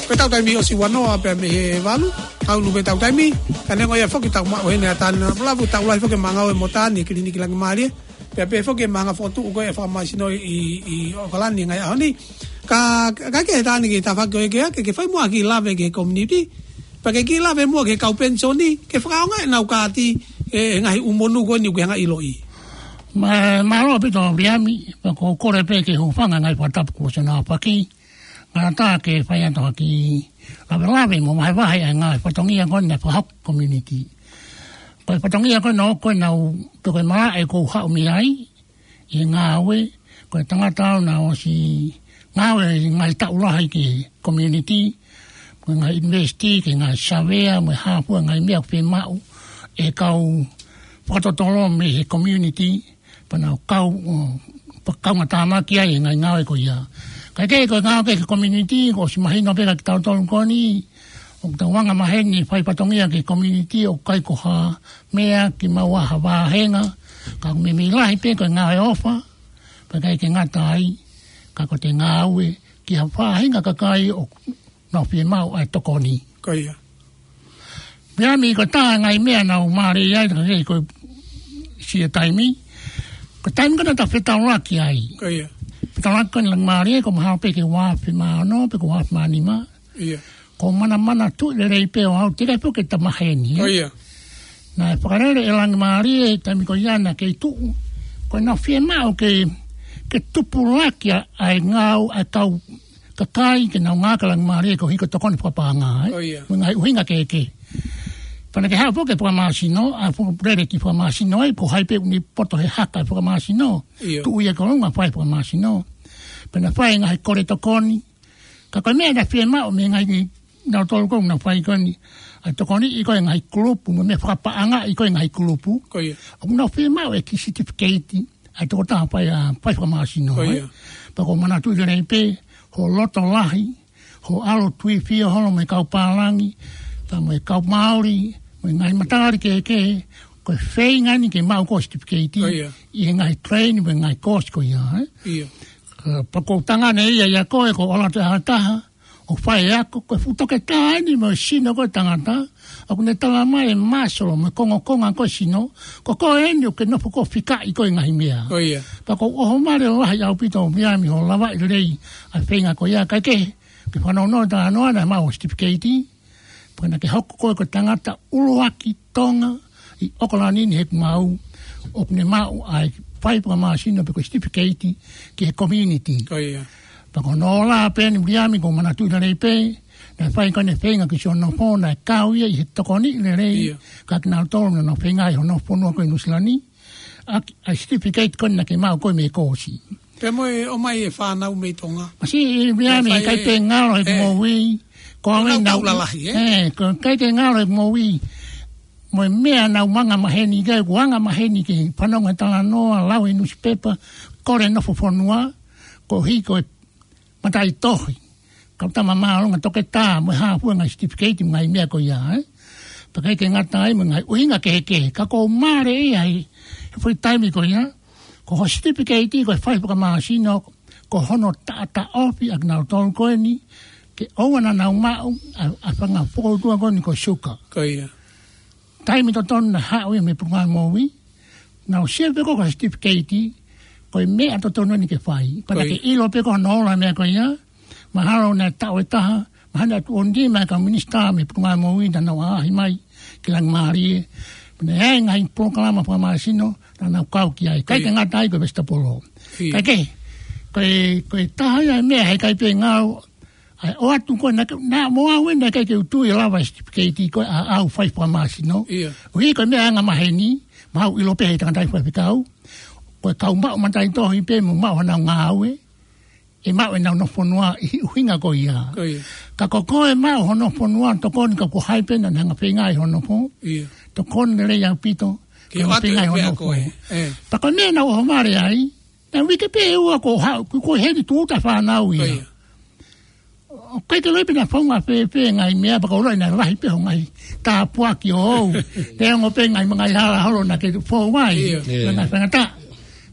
Ko ʻetau taimi ʻosi ua noa pea mei he valu, ʻalu pē ʻetau taimi, ka neongo ia foki tau maʻu heni ʻa Tani Lavulavu, tau lahi foki ʻemau ngāue mo Tani, kiliniki Langimālie, pea pehē foki ʻemau ngāue fokotuʻu ko ē e fakamāsino ʻi, ʻi ʻOkalani he ngaahi ʻaho ni. Ka, ka ke Tani ke tafaʻaki ko ē ke, ke, ke fai muʻa ha kiʻi lave ki he community, pea ke kiʻi lave muʻa ki he kau penisoni, ke fakaʻaongaʻi ʻenau kaati, ʻe, he ngaahi ʻū monū ko eni ʻoku ke hanga ʻo ʻiloʻi. Mā, mālō ʻaupito Viliami, pea ʻoku ou kole pē ke u hūfanga he ngaahi fakatapu kuo ʻosi hono aofaki. Ngata ke fai atu ha kiʻi lavelave mo vahevahe ʻa e ngaahi fatongia ko eni naʻe fakahoko ʻe he community. Ko e fatongia ko ena ʻoku ou nau tokemā ʻe ʻoku ou haʻu mei ai, ʻi he ngāue, ko e tangata au naʻe ʻosi ngāue ʻi he ngaahi taʻu lahi ki he community, ko e ngaahi investi, ki he ngaahi savea, mo e hā fua e ngaahi meʻa ʻoku fiemaʻu ʻe he kau fakatotolo mei he community, pea nau kau, ʻo, pea kau ngata mai ki ai e ngaahi ngāue ko ia. Kae kehe ko e ngāue ki he community, kuo ʻosi mahino pē kiate kitautolu ko eni, ʻoku tau anga maheni fai fatongia ki he community, ʻoku ʻikai ko ha meʻa ke maʻu ha vāhenga, ka ʻoku meimei lahi pē ko e ngāue ʻofa, pea ʻikai ke ngata ai, ka ko ʻete ngāue ki ha faʻahinga kakai ʻoku nau fiemaʻu ʻa e tokoni. Ko ia. Viliami, ko e taha e ngaahi meʻa naʻa ku mālieʻia ai, ka ke ko e siʻi taimi. Ko e taimi ko ē naʻa ta fetaulaki ai. Ko ia. Fetaulaki ko eni Langimālie, ko e mahalo pē ke ua afe mā ono, pe ko e ua afe mā nima. Ia. Ko e manamanatuʻi lelei pē ʻo aʻu, teʻeki ai pē ke ta maheni, ē? Ko ia. Naʻe fakalele ʻe Langimālie, taimi ko ia naʻa ke tuʻu. Ko ʻenau fiemaʻu ke, ke tupulaki ʻa e ngāue ʻa e kau kakai ke nau ngāue ki Langimālie koeʻuhi ko e tokoni fakapaʻanga, ē? Ko ia. Mo e ngaahi ʻuhinga kehekehe. Pea naʻa ke haʻu foki ki he fakamāsino, ʻa e fakalele ki he fakamāsino, ē, ko hai pē ʻoku ne poto he haka e fakamāsino. Ia. Tuʻu ia ki ʻolunga fai fakamāsino. Pea naʻa fai e ngaahi kole tokoni. Ka ko e meʻa naʻe fiemaʻu mei he ngaahi, nautolu ko ē naʻa fai ko eni ʻa e tokoniʻi ko ē e ngaahi kulupu, mo e meʻa fakapaʻangaʻi ko ē e ngaahi kulupu. Ko ia. ʻOku nau fiemaʻu e kiʻi certificate ʻa e tokotaha fai, ʻa, fai fakamāsino, ē? Ko ia. Pea ʻoku ou manatuʻi lelei pē hoʻo loto lahi, ʻo ʻalu ʻo tuifio holo mo e kau pālangi, pea mo e kau Māori, mo e ngaahi matali kehekehe, ko e feinga eni ke maʻu ko e certificate, ʻIo. ʻi he ngaahi train mo e ngaahi course ko ia, ē? ʻIo. Ka, pea ko e tangata ia ʻia koe, ko e ʻalu atu ʻa e taha, ʻo fai e ako, ko e fuʻu toketā eni mo e sino ko e tangata, ʻoku ne tala mai e muscle mo e kongokonga ko e sino, ko koe eni ʻoku ke nofo ko e fikaʻi ko e ngaahi meʻa. ʻIo. Pea ʻoku ou ʻohovale lahi ʻaupito ʻa Viliami hoʻo lavaʻi lelei ʻa e feinga ko ia, kae kehe, ke fanongo ʻi he talanoa naʻe maʻu certificate, pea naʻa ke hoko koe ko e tangata ʻuluaki Tonga ʻi ʻOkalani ni he ʻoku maʻu, ʻoku ne maʻu ʻa e fai fakamasino pe ko e certificate ki he community. ʻIo. Pea ko hono ola pē eni Viliami ʻoku ou manatuʻi lelei pē, naʻe fai ko ʻene feinga ki siʻono nofo, naʻe kau ia ʻi he tokoni lelei, ʻIo. ka kinautolu naʻa nau feinga ʻi hono fonua ko ē ʻi Nuʻusila ni, ʻa e, ʻa e certificate ko ē naʻa ke maʻu ko ē mei he course. Pea mo e ʻomai e fānau mei Tonga. Masiʻi Viliami, Pea fai ʻikai e, pē ngalo he ʻe, moʻui, ko e ʻenau nau taʻu lalahi, ē? ʻE, ko e ʻikai pē ngalo he moʻui. Mo e meʻa ʻenau anga maheni, ʻikai ko e anga maheni ke fanongo he talanoa, lau he nusipepa, kole nofo fonua, koeʻuhi ko e mataʻitohi, kau tama māʻolunga toketā, mo e hā fua e ngaahi certificate, mo e ngaahi meʻa ko ia, ē? Pea ʻikai ke ngata ai, mo e ngaahi ʻuhinga kehekehe, ka ʻoku ou mālieʻia ai he foʻi taimi ko ia, ko hoʻo certificate ko e fai fakamasino, ko hono taʻataʻofi ʻa kinautolu ko eni, ke ʻoua naʻa nau maʻu ʻa, ʻa e fanga fokoutua ko eni ko e suka. Ko ia. Taimi totonu naʻe haʻu ia mei he Potungāue Moʻui, naʻa nau sio pē ko e certificate, ko e meʻa totonu eni ke fai. Pea naʻa Ko ia. ke ʻilo pē ko hono ola e meʻa ko ia, mahalo naʻe taʻu ʻe taha, mahalo naʻe tuʻo nima e kau minisitā mei he Potungāue Moʻui naʻa nau ʻaʻahi mai ki Langimalie. Pea naʻe ʻi ai e ngaahi polokalama fakamasino naʻa nau kau ki ai. ʻIkai Ko ia. ke ngata ai ko e vesitapolo. Ia. Kae kehe, ko e, ko e taha ia e meʻa he ʻikai pē ngalo, ʻa e ʻoatu ko ē naʻa ke, naʻa mo au ē naʻe ʻikai ke u tui ʻe lava e certificate ko ē ʻa au fai fakamasino. Ia. ʻUhi ko e meʻa anga maheni, maʻu ʻilo pē he tangataʻi faifekau, ko e kau maʻu mataʻitohi pē mo maʻu honau ngāue, ʻe maʻu ʻenau nofo fonua ʻi he ʻuhinga ko ia. Ko ia. Ka ko koe maʻu hoʻo nofo fonua, tokoni ka ko hai pē naʻa ne hanga feinga ʻi hoʻo nofo, Ia. tokoni lelei ʻaupito, Ke ka ʻoatu feinga e ʻi hoʻo meʻa nofo. ko ē, ē. Pea ko e meʻa naʻa ku ʻohovale ai, naʻe uike pē ʻe ua kuo haʻu, kuo, kuo heni tūʻuta fānau ia. Ko ia. ʻOku ʻikai ke u ʻilo pe naʻe faʻunga fēfē e ngaahi meʻa, pea ʻoku ou ʻiloʻi naʻe lahi pē hoʻo ngaahi tāpuaki ʻoʻou. Neongo pē ngaahi, ngaahi hala holo naʻa ke fou ai. ʻIo. ʻIo. Ngaahi faingataʻa.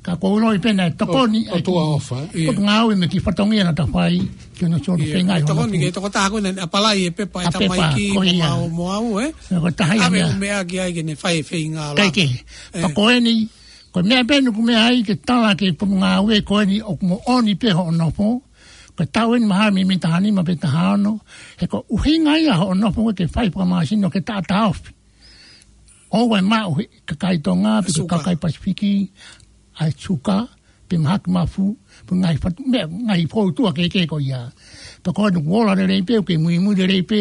Ka ʻoku ou ʻiloʻi pē naʻe tokoni ʻO, ʻo ai ki tuʻa ʻofa, ē? ʻIo. Potungāue mo e kiʻi fatongia naʻa ta fai, ki hono siʻono ʻIo. feinga ʻi hono Tokoni nofo. ke tokotā ko ē naʻe apply e pepa ʻa e ʻa e pepa, tamaiki ko mo ia. au, mo au, ē? Ko e taha ia e Ave meʻa. ʻū meʻa ki ai ke ne fai e feinga ʻa Kae kehe. Ē. Pea ko eni, ko e meʻa pē eni ʻoku meʻa ai ke tala ki he Potungāue ko eni ʻoku moʻoni pē hoʻo nofo. Ko e taʻu eni mahalo mei, mei taha nima pe taha ono. He ko e ʻuhinga ia hoʻo nofo ko ē ke fai fakamasino ke taʻataʻofi. ʻOua ʻe maʻu ʻe he kakai Tonga, pe ko e Suka. kakai Pasifiki, ʻa e suka, pe mahaki mafu, pe ngaahi fatu-, meʻa, ngaahi fokoutua kehekehe ko ia. Pea ko eni kuo ola lelei pē, ʻoku ke muimui lelei pē,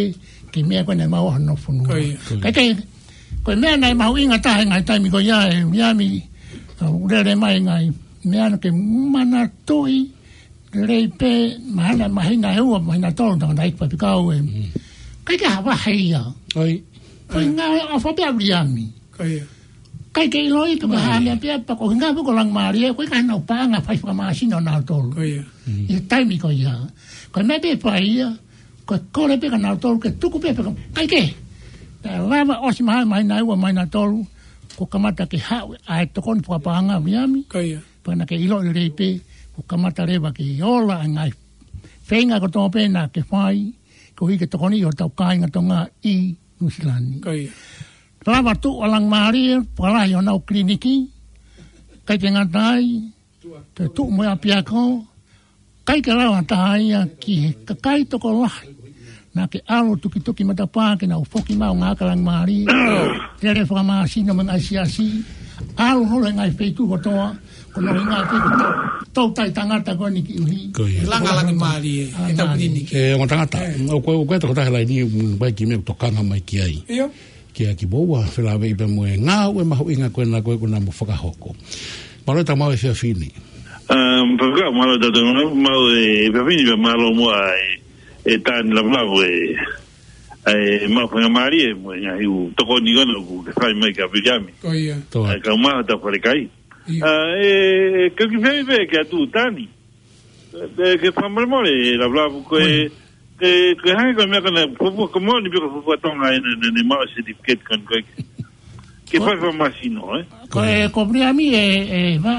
ki he meʻa ko ē naʻe maʻu hoʻo nofo fonua. Ko ia. Kae kehe, ko e meʻa naʻe mahuʻinga taha he ngaahi taimi ko ia, ʻe Viliami, ʻa, ʻoku lele mai e ngaahi meʻa naʻa ke manatuʻi, lelei pē, mahalo, māhina ʻe ua, māhina ʻe tolu, tangataʻeiki faifekau ē. Mm. ʻIkai ke ha vahe ia. ʻOi. Ko e ngaahi ʻofa pē ʻa Viliami. Ko ia. ʻIkai ke ʻiloʻi pe ko e hā e meʻa pea, pea ko e ʻuhinga pē ko Langimalie, ʻoku ʻikai ke nau paʻanga fai fakamasino nautolu. Ko ia. Mm. ʻI he taimi ko ia. Ko e meʻa pē fai ia, ko e kole pē kia nautolu ke tuku pē pē ko, ʻikai ke. Naʻe lava ʻosi māhina, māhina ʻe ua, māhina ʻe tolu, kuo kamata ke haʻu ʻa e tokoni fakapaʻanga ʻa Viliami. Ko ia. Pea naʻa ke ʻilo lelei pē, kuo kamata leva ke ola e ngaahi feinga kotoa pē naʻa ke fai, koeʻuhi ke tokoniʻi hotau kāinga Tonga ʻi Nuʻusila ni. Ko ia. Lava tuʻu ʻa Langimalie, fakalahi honau kiliniki, ʻikai ke ngata ai, toe tuʻu mo e ʻapiako, ʻikai ke lava ha taha ia ki he kakai tokolahi. Naʻa ke ʻalu tukituki matapā ke nau foki mai ʻo ngāue kia Langimalie. Lele fakamasino mo e ngaahi siasi. ʻAlu holo he ngaahi feituʻu kotoa. Ko hono ʻuhinga pē ko e tau, tau tai tangata ko eni koeʻuhi. Ko ia. Langa Langimalie, ʻa e tau Langimalie. Kiliniki. ʻE, ongo tangata. ʻE. ʻOku, ʻoku ʻi ai e tokotaha he laini, ʻoku ʻi ai e kiʻi meʻa ʻoku tokanga mai ki ai. ʻIo. Kia Kipoua, felāveʻi pea mo e ngāue mahuʻinga ko ena ko ē kuo nau mo fakahoko. Mālō e tau maʻu e efiafi ni. Um, Faifekau, mālō e tau maʻu, maʻu e efiafi ni pea mālō muʻa e, e Tani Lavulavu e, e maʻu faingamālie mo e ngaahi ʻū tokoni ko ena ʻoku ke fai mai kia Viliami. Ko ia. Tō. ʻA e kau maʻu tau falekai. Ia. ʻA, e, e, ke u kiʻi fehuʻi pē kia Tani. E, ke fakamolemole, Lavulavu ko e, Moʻoni. Ke, ke hangē ko e meʻa ko ena, fuofua, ko e moʻoni pē ko e fuofua Tonga ʻe ne, ne, ne maʻu certificate ko eni ko ē. Ke fai fakamāsino, ē? Ko e, ko Viliami ē, ē, Vā.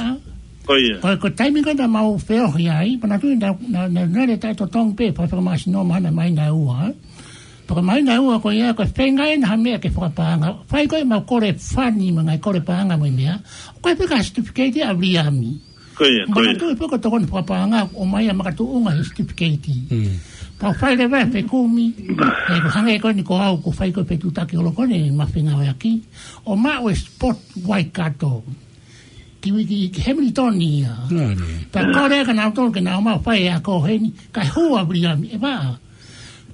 Ko ia. Ko e, ko e taimi ko ē naʻa mau feohi ai, pea naʻe tuʻu ai naʻa, naʻa, naʻa, naʻe taʻetotongi pē, fai fakamāsino mahalo ʻe māhina ʻe ua, ē? Pea ko e māhina ʻe ua ko ia, ko e feinga ʻena ha meʻa ke fakapaʻanga. Fai ko ē mau kole fani mo e ngaahi kole paʻanga mo e meʻa. Ko e pē ka certificate ʻa Viliami. Ko ia, ko ia. Makatuʻu pē ko e tokoni fakapaʻanga, ʻomai ʻa makatuʻunga he certificate. Mm. Pea fai leva e fekumi, ē, ko e hangē ko eni ko au, ko e fai ko e fetuʻutaki holo ko eni, ma fengāueʻaki. ʻO maʻu e spot Waikato. Ki, ki, ki Hamilton ia. Nā, nē. Pea kole kia nautolu ke nau ō mai ʻo fai e ako heni, kae hū ʻa Viliami, ē Vā.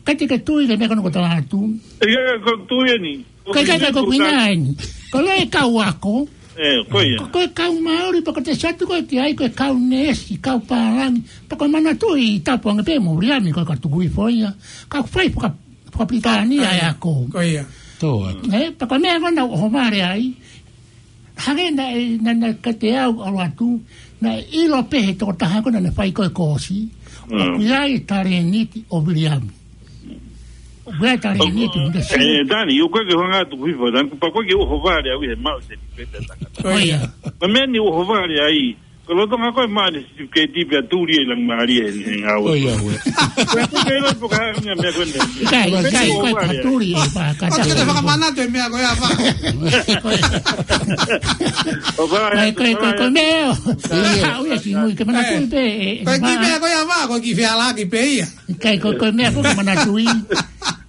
Kae te ke tui ki he meʻa ko ena ʻoku ou tala atu. ʻIkai, ʻikai, ko e tui eni. Ko e, ʻikai, ʻikai, ko e kuinga eni. Ko e kau ako. Ē, ko ia. Ko, ko e kau Māori, pea ko e te satu ko e ki ai, ko e kau neesi, kau pālangi. Pea ko e manatuʻi tapu ange pē mo Viliami, ko e ka tuku hifo ia. Ka fai faka-, faka-Pilitānia e ako. Ko ia. Tō atu. Ē, pea ko e meʻa ko ena ʻoku ou ʻohovale ai. Hangē naʻe, naʻa, naʻa kiate au ʻalu atu, naʻe ʻilo pē he tokotaha ko ena naʻe fai ko ē koosi, ʻoku ʻi ai e talēniti ʻo Viliami. ʻOku ʻi ai e talēniti ʻo Viliami. Ē, Tani, ʻoku ʻikai ke hanga atu kuifa, Tani, pea ʻoku ʻikai ke u ʻohovale au ʻi he maʻu certificate ʻa e tangata. Ko ia. Ko e meʻa ni ʻoku ou ʻohovale ai, ko e lolotonga ko ē maʻu e certificate pea tuli e langi mālie he ngāue. Ko ia, ko ia. Ko e kuke ilo po ka hanga meʻa ko eni. ʻIkai, ʻikai, ko e ʻohovale ai. Tuli e pā, ka ʻoku te tuli. Fakamanatu e meʻa ko ia, Vā. ʻO Vā, ʻai, ko e, ko e, ko e meʻa ʻo. Ia. Haʻu ia ki mui, ke manatuʻi pē, ē, ē, ko e kiʻi Vā. Meʻa ko ia, Vā, ko e kiʻi fealāki pē ia. ʻIkai, ko e, ko e meʻa ko ē ke manatuʻi.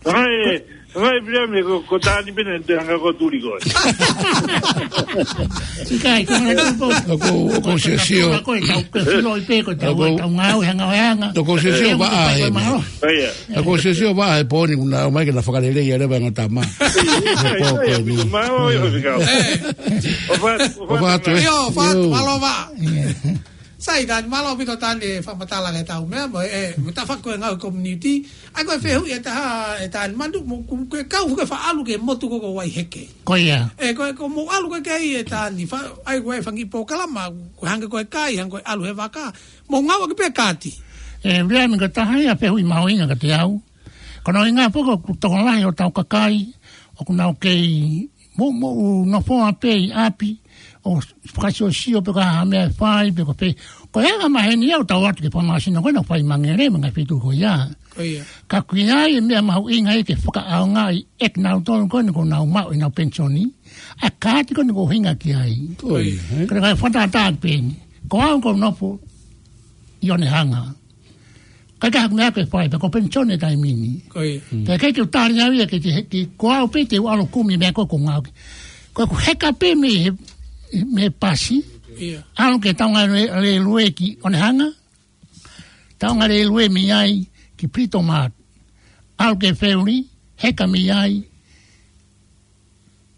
ʻAi, ʻai, Viliami, ko, ko Tani pē naʻe te hanga ko e tuli ko ē. ʻIkai, ko e manatuʻi pē. ʻOku, ʻoku ou siosio. Ko e tau, ko e filo i pē, ko e tau, ʻoku, tau ngāue, hanga, hanga. ʻOku ou siosio, Vā, ʻai, ʻai, ʻai, ʻai. Ko ia. ʻOku ou siosio, Vā, he pō ni kuo nau ō mai ke nau fakaleleiʻi leva e ongo tama. He pō ko eni. Mālō, ʻio, fika. Ē. ʻOfa atu, ʻofa atu, ē. ʻIo, ʻofa atu, mālō, Vā. Ia. Sai, Tani, mālō ʻaupito Tani e fakamatala ki heʻetau meʻa, mo e, mo e tafaʻaki ko ē ngāue community. ʻAi ko e fehuʻi ʻe taha ʻe Tani, manatuʻi mo, ko, ko e kau, ko e faʻa ʻalu ki he motu ko ē ko Waiheke. Ko ia. Ē, ko e, ko hoʻomou ʻalu ko ē ki ai ʻe Tani, fa-, ʻai ko e fanga kiʻi polokalama, ko e hangē ko e kai, hangē ko e ʻalu he vaka. Mou ngāueʻaki pē kaati. Ē, Viliami, ko e taha ia e fehuʻi mahuʻinga kiate au. Ko hono ʻuhinga foki ʻoku tokolahi hotau kakai, ʻoku nau kei mo, mo, ʻo nofo pē ʻi ʻapi, ʻo fakasiosio pe ko e hā e meʻa ʻe fai, pe ko e pē. Ko e anga maheni ia ʻoku tau ō atu ki he fakamāsino ko ena ʻoku fai ʻi Mangere, mo e ngaahi feituʻu ko ia. Ko ia. Ka ʻoku ʻi ai e meʻa mahuʻinga ia ke fakaʻaongaʻi ʻe kinautolu ko eni kuo nau maʻu ʻenau penisoni, ʻa e kaati ko eni ʻoku ʻuhinga ki ai. Ko ia, ē? Ka ʻoku ou fakatātā pē eni. Ko au ʻoku ou nofo ʻi Onehunga. ʻIkai ke ʻi ai haku meʻa ke fai, pea ko e penisoni e taimi ni. Ko ia. Mm. Pea ʻikai ke u tali au ia ke te, ke ko au pē te u ʻalu ʻo kumi e meʻa ko ē ʻoku ou ngāueʻaki. Ko ʻeku heka pē mei he, mei he pasi. Ia. ʻAlu ki he taunga lē-, lēlue ki Onehunga. Taunga lēlue mei ai ki Britomart. ʻAlu ki he feuli, heka mei ai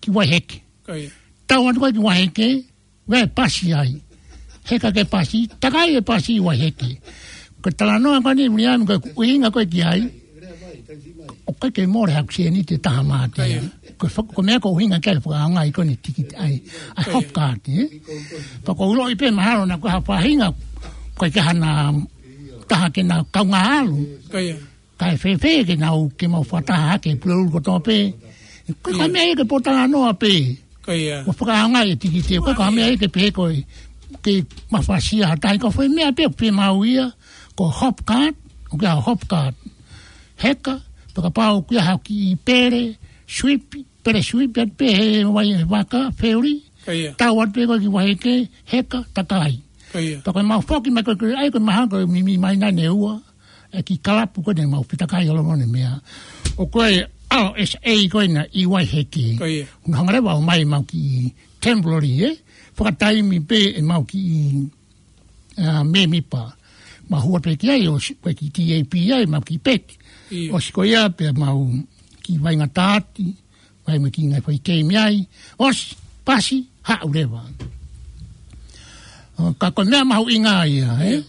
ki Waiheke. Ko ia. Tau atu ko ē ki Waiheke, ʻoku ʻi ai e pasi ai. Heka ki he pasi, takai e pasi ʻi Waiheke. Ko e talanoa ko eni, Viliami, ko e ʻuhinga ko ē ki ai, ʻoku ʻikai ke mole haku sēniti ʻe taha mā te. Ko ia. Ko e fa-, ko e meʻa ʻoku ʻuhinga ki ai e fakaʻaongaʻi ko eni e tikite ai. ʻA e, ko ia, Hopcard, ē? Pea ʻoku ou ʻiloʻi pē mahalo naʻa ko ha faʻahinga, ʻoku ʻikai ke ʻi ai hano taha ke na kaungā ʻalu. Ko ia. Kae fēfē ke nau, ke mau fakataha hake Pulelulu kotoa pē. Ko e, ko e, ia, meʻa ia ke pōtalanoa pē. Ko ia. Mo fakaʻaongaʻi e tikite, ko e, ko e, ia, meʻa ia ke pehē ko e, ke mafasia ha taha, ko e foʻi meʻa pē ʻoku fiemaʻu ia, ko e Hopcard, ʻoku ʻi ai e Hopcard. Heka, pea kapau ʻoku ʻi ai ha kiʻi pele, sweep, pele sweep atu pē he vai he vaka, feuli. Ko ia. Tau atu pē ko ē ki Waiheke, heka, takai. Ko ia. Pea ko e mau foki mai ko ē, ʻai ko e mahalo ko e mimi mai naʻa ne ua. E kiʻi kalapu ko ē naʻa mau fetakai holo mo ʻene meʻa. ʻOku ʻi ai e R S A ko ena ʻi Waiheke. Ko ia. Naʻa nau hanga leva ʻo ʻomai ʻemau kiʻi temporary, ē? Fakataimi pē ʻemau kiʻi, ā, mēmipa. Mau hū pē ki ai ʻo si-, ko e kiʻi T A P ai, ʻemau kiʻi peti. Ia. ʻOsi ko ia pea mau kiʻi vaʻinga taati, vaʻinga kiʻi ngaahi foʻi keimi ai. ʻOsi, pasi, haʻu leva. ʻO, ka ko e meʻa mahuʻinga ia, ē? Ia.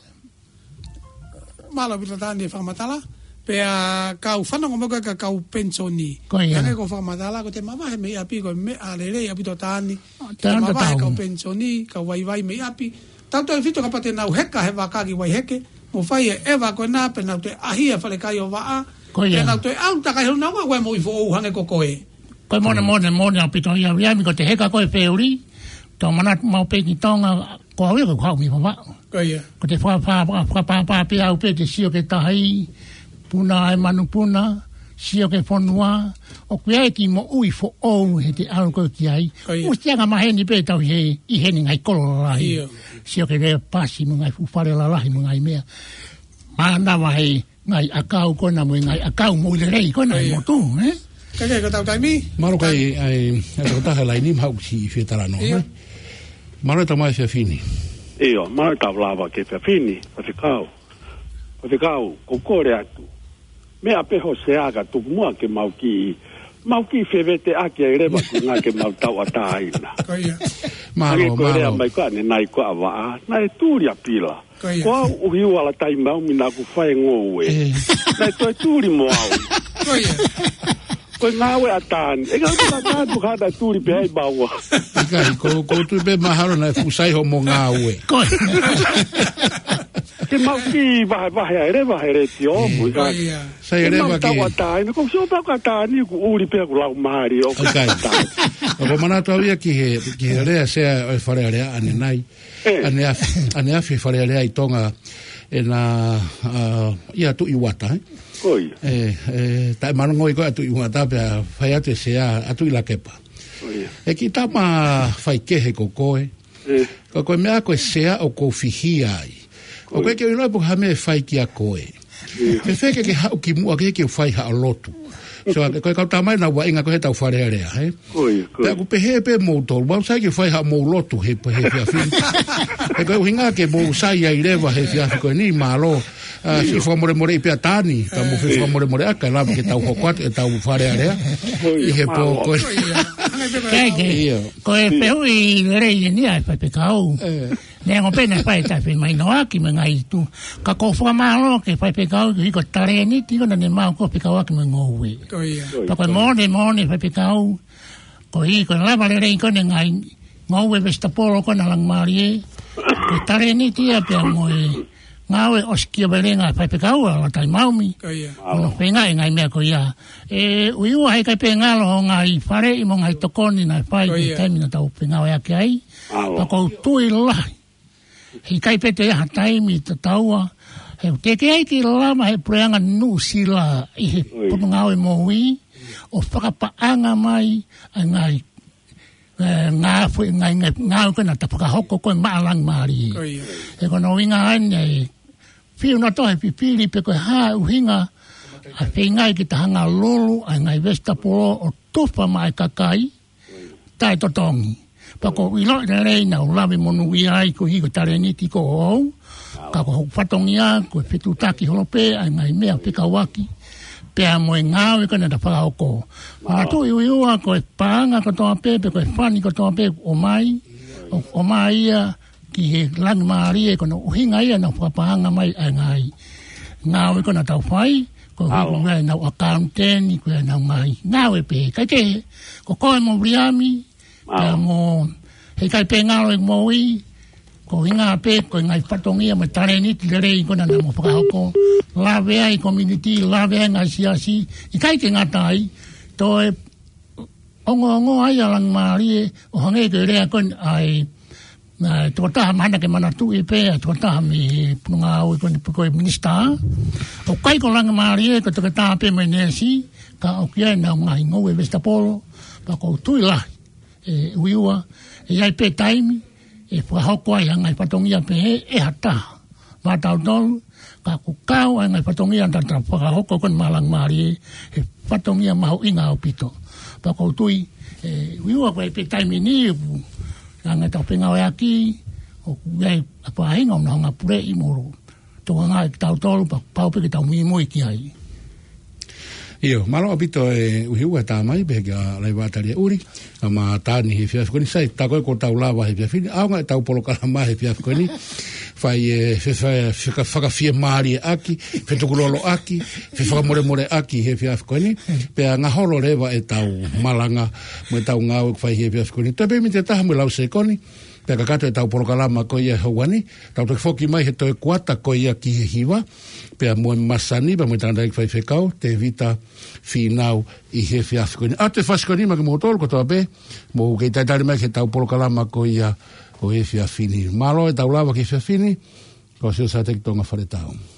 Mālō ʻaupito Tani e fakamatala. Pea kau fanongo mo e kau penisoni. Ko ia. Hangē ko e fakamatala, ko ʻete mavahe mei ʻapi ko e meʻa lelei ʻaupito Tani. Te mavahe tatau. Kau penisoni, kau vaivai mei ʻapi. Tautautefito kapau te nau heka he vaka ki Waiheke. Mo fai e ʻeva ko ena pea nau toe ʻaʻahi e falekai ʻo Vaʻa. Ko ia. Pea nau toe ʻalu takai holo nau ʻa ue mo i foʻou hangē ko koe. Ko e mone, mone, mone ʻaupito ia Viliami, ko e heka ko e feuli. Tau manatu maʻu pē ki Tonga, ko au ia ko e haʻu mei Vavaʻu. Ko ia. Ko e fa-, fa-, fa-, fakapāpā pē au pē te sio ki he tahi, puna e manupuna, sio ki he fonua, ʻoku ʻi ai e kiʻi moʻui foʻou he te ʻalu koe ki ai. Ko ia. ʻOsi angamaheni pē tau he, ʻi heni ngaahi kolo lalahi. Ia. Sio ki he pasi mo e ngaahi fuʻu fale lalahi mo e ngaahi meʻa. Mānava he ngaahi ʻakau ko ena mo e ngaahi ʻakau moʻui lelei ko ena he motu, ē? Kae kehe ko e tau taimi. Mālō kai, ai, ai, ko e taha laini maʻu ki he fie talanoa, ē? Mālō e tau mai fefine. ʻIo, mālō e tau lava ki he fefine, Faifekau. Faifekau, ko e kole atu. Meʻa pē ho sea ka tuku muʻa ke mau kiʻi, mau kiʻi fevete ʻaki ai leva ko e ʻuhinga ke mau tauʻatāina. Ko ia. Mālō, hangē ko e lea mālō. Mai ko ʻanenai ko ʻa Vaʻa, naʻe tuli ʻa Pila. Ko ia. Ko au ʻUhiua Lataimau mi naʻa ku fai e ngoue. Ē. Naʻe toe tuli mo au. Ko ia. Ko e ngāue ʻa Tani. ʻE ngāue ʻa Tani, ko hana tuli pē ai maua. ʻIkai, ko, ko tui pē mahalo naʻe fuʻu sai hoʻomo ngāue. Ko ia. Ke mau kiʻi vahevahe ai leva he letiō, ē. Mo e ko ia. Sai leva ke mau tauʻatāina, ko sio pē ko ʻa Tani, kuo ʻuli pē ʻoku lau mālie ʻo ʻIkai. Tani. ʻOku ou manatu au ia ki he, ki he lea sea ʻo e Fale Alea ʻanenai. Ē. ʻAneafi, ʻaneafi Fale Alea ʻi Tonga ʻena, ʻa, ʻia Tuʻi Uata, ē? Ko ia. Ē, ē, taʻemalanga ko ia ʻa Tuʻi Uata pea fai atu e sea ʻa Tuʻi Lakepa. Ko ia. ʻE kiʻi tama faikehe ko koe. Ē. Ko koe meʻa ko e sea ʻoku ou fihia ai. Ko ia. ʻOku ʻikai ke u ʻilo pe ko e hā e meʻa ʻe fai kiate koe. Ē. Fēfē ke ke haʻu ki muʻa ke ke fai haʻo lotu. So, ko e kau tamai naʻa nau vaʻinga ko e he tau Fale Alea, ē? Ko ia, ko ia. Pea ʻoku pehē pē moutolu, mau sai ke fai haʻamou lotu he, he efiafi ni. He ko e ʻuhinga ke mou sai ai leva he efiafi ko eni, mālō. ʻA, ʻio. Fefakamolemoleʻi pē ʻa Tani, ka mou fefakamolemoleʻi ʻaki, kae lava ke tau hoko atu e tau Fale Alea. Ko ia, ʻi he pō mālō. Ko eni. Kae kehe, ʻio. Ko e fehuʻi lelei eni ʻa e Faifekau. Ē. Neongo pē naʻe fai e taʻefemahinoʻaki mo e ngaahi tuʻu. Ka ʻoku ou fakamālō ki he Faifekau, ki he talēniti ko ena naʻa ne maʻu ko e fekauʻaki mo e ngoue. Ko ia. Pea ko e moʻoni, moʻoni Faifekau. Ko e, ko e lava lelei ko ena e ngaahi ngoue vesitapolo ko ena Langimālie. Ko e talēniti ia pea mo e ngāue ʻosikiavelenga ʻa e Faifekau ʻa Lataimau mi. Ko ia. ʻO ne feinga e ngaahi meʻa ko ia. ʻE ʻUhiua heʻikai pē ngalo hoʻo ngaahi faleʻi mo e ngaahi tokoni naʻe fai ki he taimi naʻa tau fengāueʻaki ai. Mālō. Pea ʻoku ou tui lahi. Heʻikai pē toe ʻi ai ha taimi tatau. He ʻoku teʻeki ai ke lava ʻe he puleʻanga Nuʻusila ʻi he potungāue moʻui ʻo fakapaʻanga mai ʻa e ngaahi, ē, ngaahi foʻi, ngaahi, ngaahi, ngaahi ko ena naʻa ta fakahoko ko ē maʻa Langimālie. Ko ia. He ko hono ʻuhinga eni ʻe fiu nautolu he fifili pe ko e hā e ʻuhinga ʻa e feingaʻi ke ta hanga ʻo lulu ʻa e ngaahi vesitapolo ʻo tufa maʻa e kakai taʻetotongi. Pea ʻoku ou ʻiloʻi lelei naʻa ku lave monūʻia ai koeʻuhi ko e talēniti ko au. Ka ko hoku fatongia, ko e fetuʻutaki holo pē ʻa e ngaahi meʻa fekauʻaki pea mo e ngāue ko ena naʻa ta fakahoko. Manatuʻi ʻUhiua ko e paʻanga kotoa pē, pe ko e fani kotoa pē ʻoku ʻomai, ʻoku ʻomai ia ki he Langimālie, ko hono ʻuhinga ia naʻa ku fakapaʻanga mai ʻa e ngaahi ngāue ko ena naʻa tau fai, ko e ʻuhi ko e ngaahi ʻenau ʻakauniteni, ko ʻenau ngaahi ngāue pē. Kae kehe, ko koe mo Viliami, pea mo, heʻikai pē ngalo e moʻui, ko e ʻuhinga pē ko e ngaahi fatongia mo e talēniti lelei ko ena naʻa mou fakahoko. Lave ai community, lave ai ngaahi siasi, ʻikai ke ngata ai, toe ongoongo ai ʻa Langimālie, ʻo hangē ko e lea ko ena ʻa e, ʻa e tokotaha mahalo ke manatuʻi pē, ʻa e tokotaha mei he potungāue ko eni pe ko e minisitā. ʻOku ʻikai ko Langimālie, ko e toketā pē mo e neesi, ka ʻoku ʻi ai ʻenau ngaahi ngoue vesitapolo, pea ʻoku ou tui lahi, ʻe ʻUhiua, ʻe ʻi ai pē taimi, ʻe fakahoko ai ha ngaahi fatongia pehē ʻe ha taha maʻatautolu, ka ʻoku kau ai e ngaahi fatongia naʻa ta fakahoko ko ena maʻa Langimālie, he fatongia mahuʻinga ʻaupito. Pea ʻoku ou tui, ʻe ʻUhiua ko e pē taimi ni, ʻoku ʻi ai e ngaahi tau fengāueʻaki, ʻoku ʻi ai e faʻahinga ʻoku nau hanga ʻo puleʻi mo tokangaʻi kitautolu, pea pau pē ke tau muimui ki ai. ʻIo, mālō ʻaupito ʻe ʻUhiua, tamai, pehē kia Laiva Talia ʻUli, ʻa Matani he efiafi ko eni. Sai, tā ko ē kuo tau lava he efiafi ni, ʻaonga e tau polokalama he efiafi ko eni. Fai e, fe, fe, feka-, fakafiemālieʻaki, fetukuloloʻaki, fefakamolemoleʻaki he efiafi ko eni. Pea ngaholo leva e tau malanga, mo e tau ngāue ʻoku fai he efiafi ko eni. Toe pē miniti ʻe taha mo e lau sekoni. Pea kakato ʻetau polokalama ko ia he houa ni, tau toki foki mai he toe kuata ko ia ki he hiva, pea mo e masani, pea mo e tangataʻeiki faifekau, Tevita Fīnau ʻi he efiafi ko eni. ʻA e fasi ko eni maʻa kimoutolu kotoa pē, mou kei talitali mai ki heʻetau polokalama ko ia ʻo e efiafi ni. Mālō ʻetau lava ki he efiafi ni, ko Siosateki Tonga Faletau.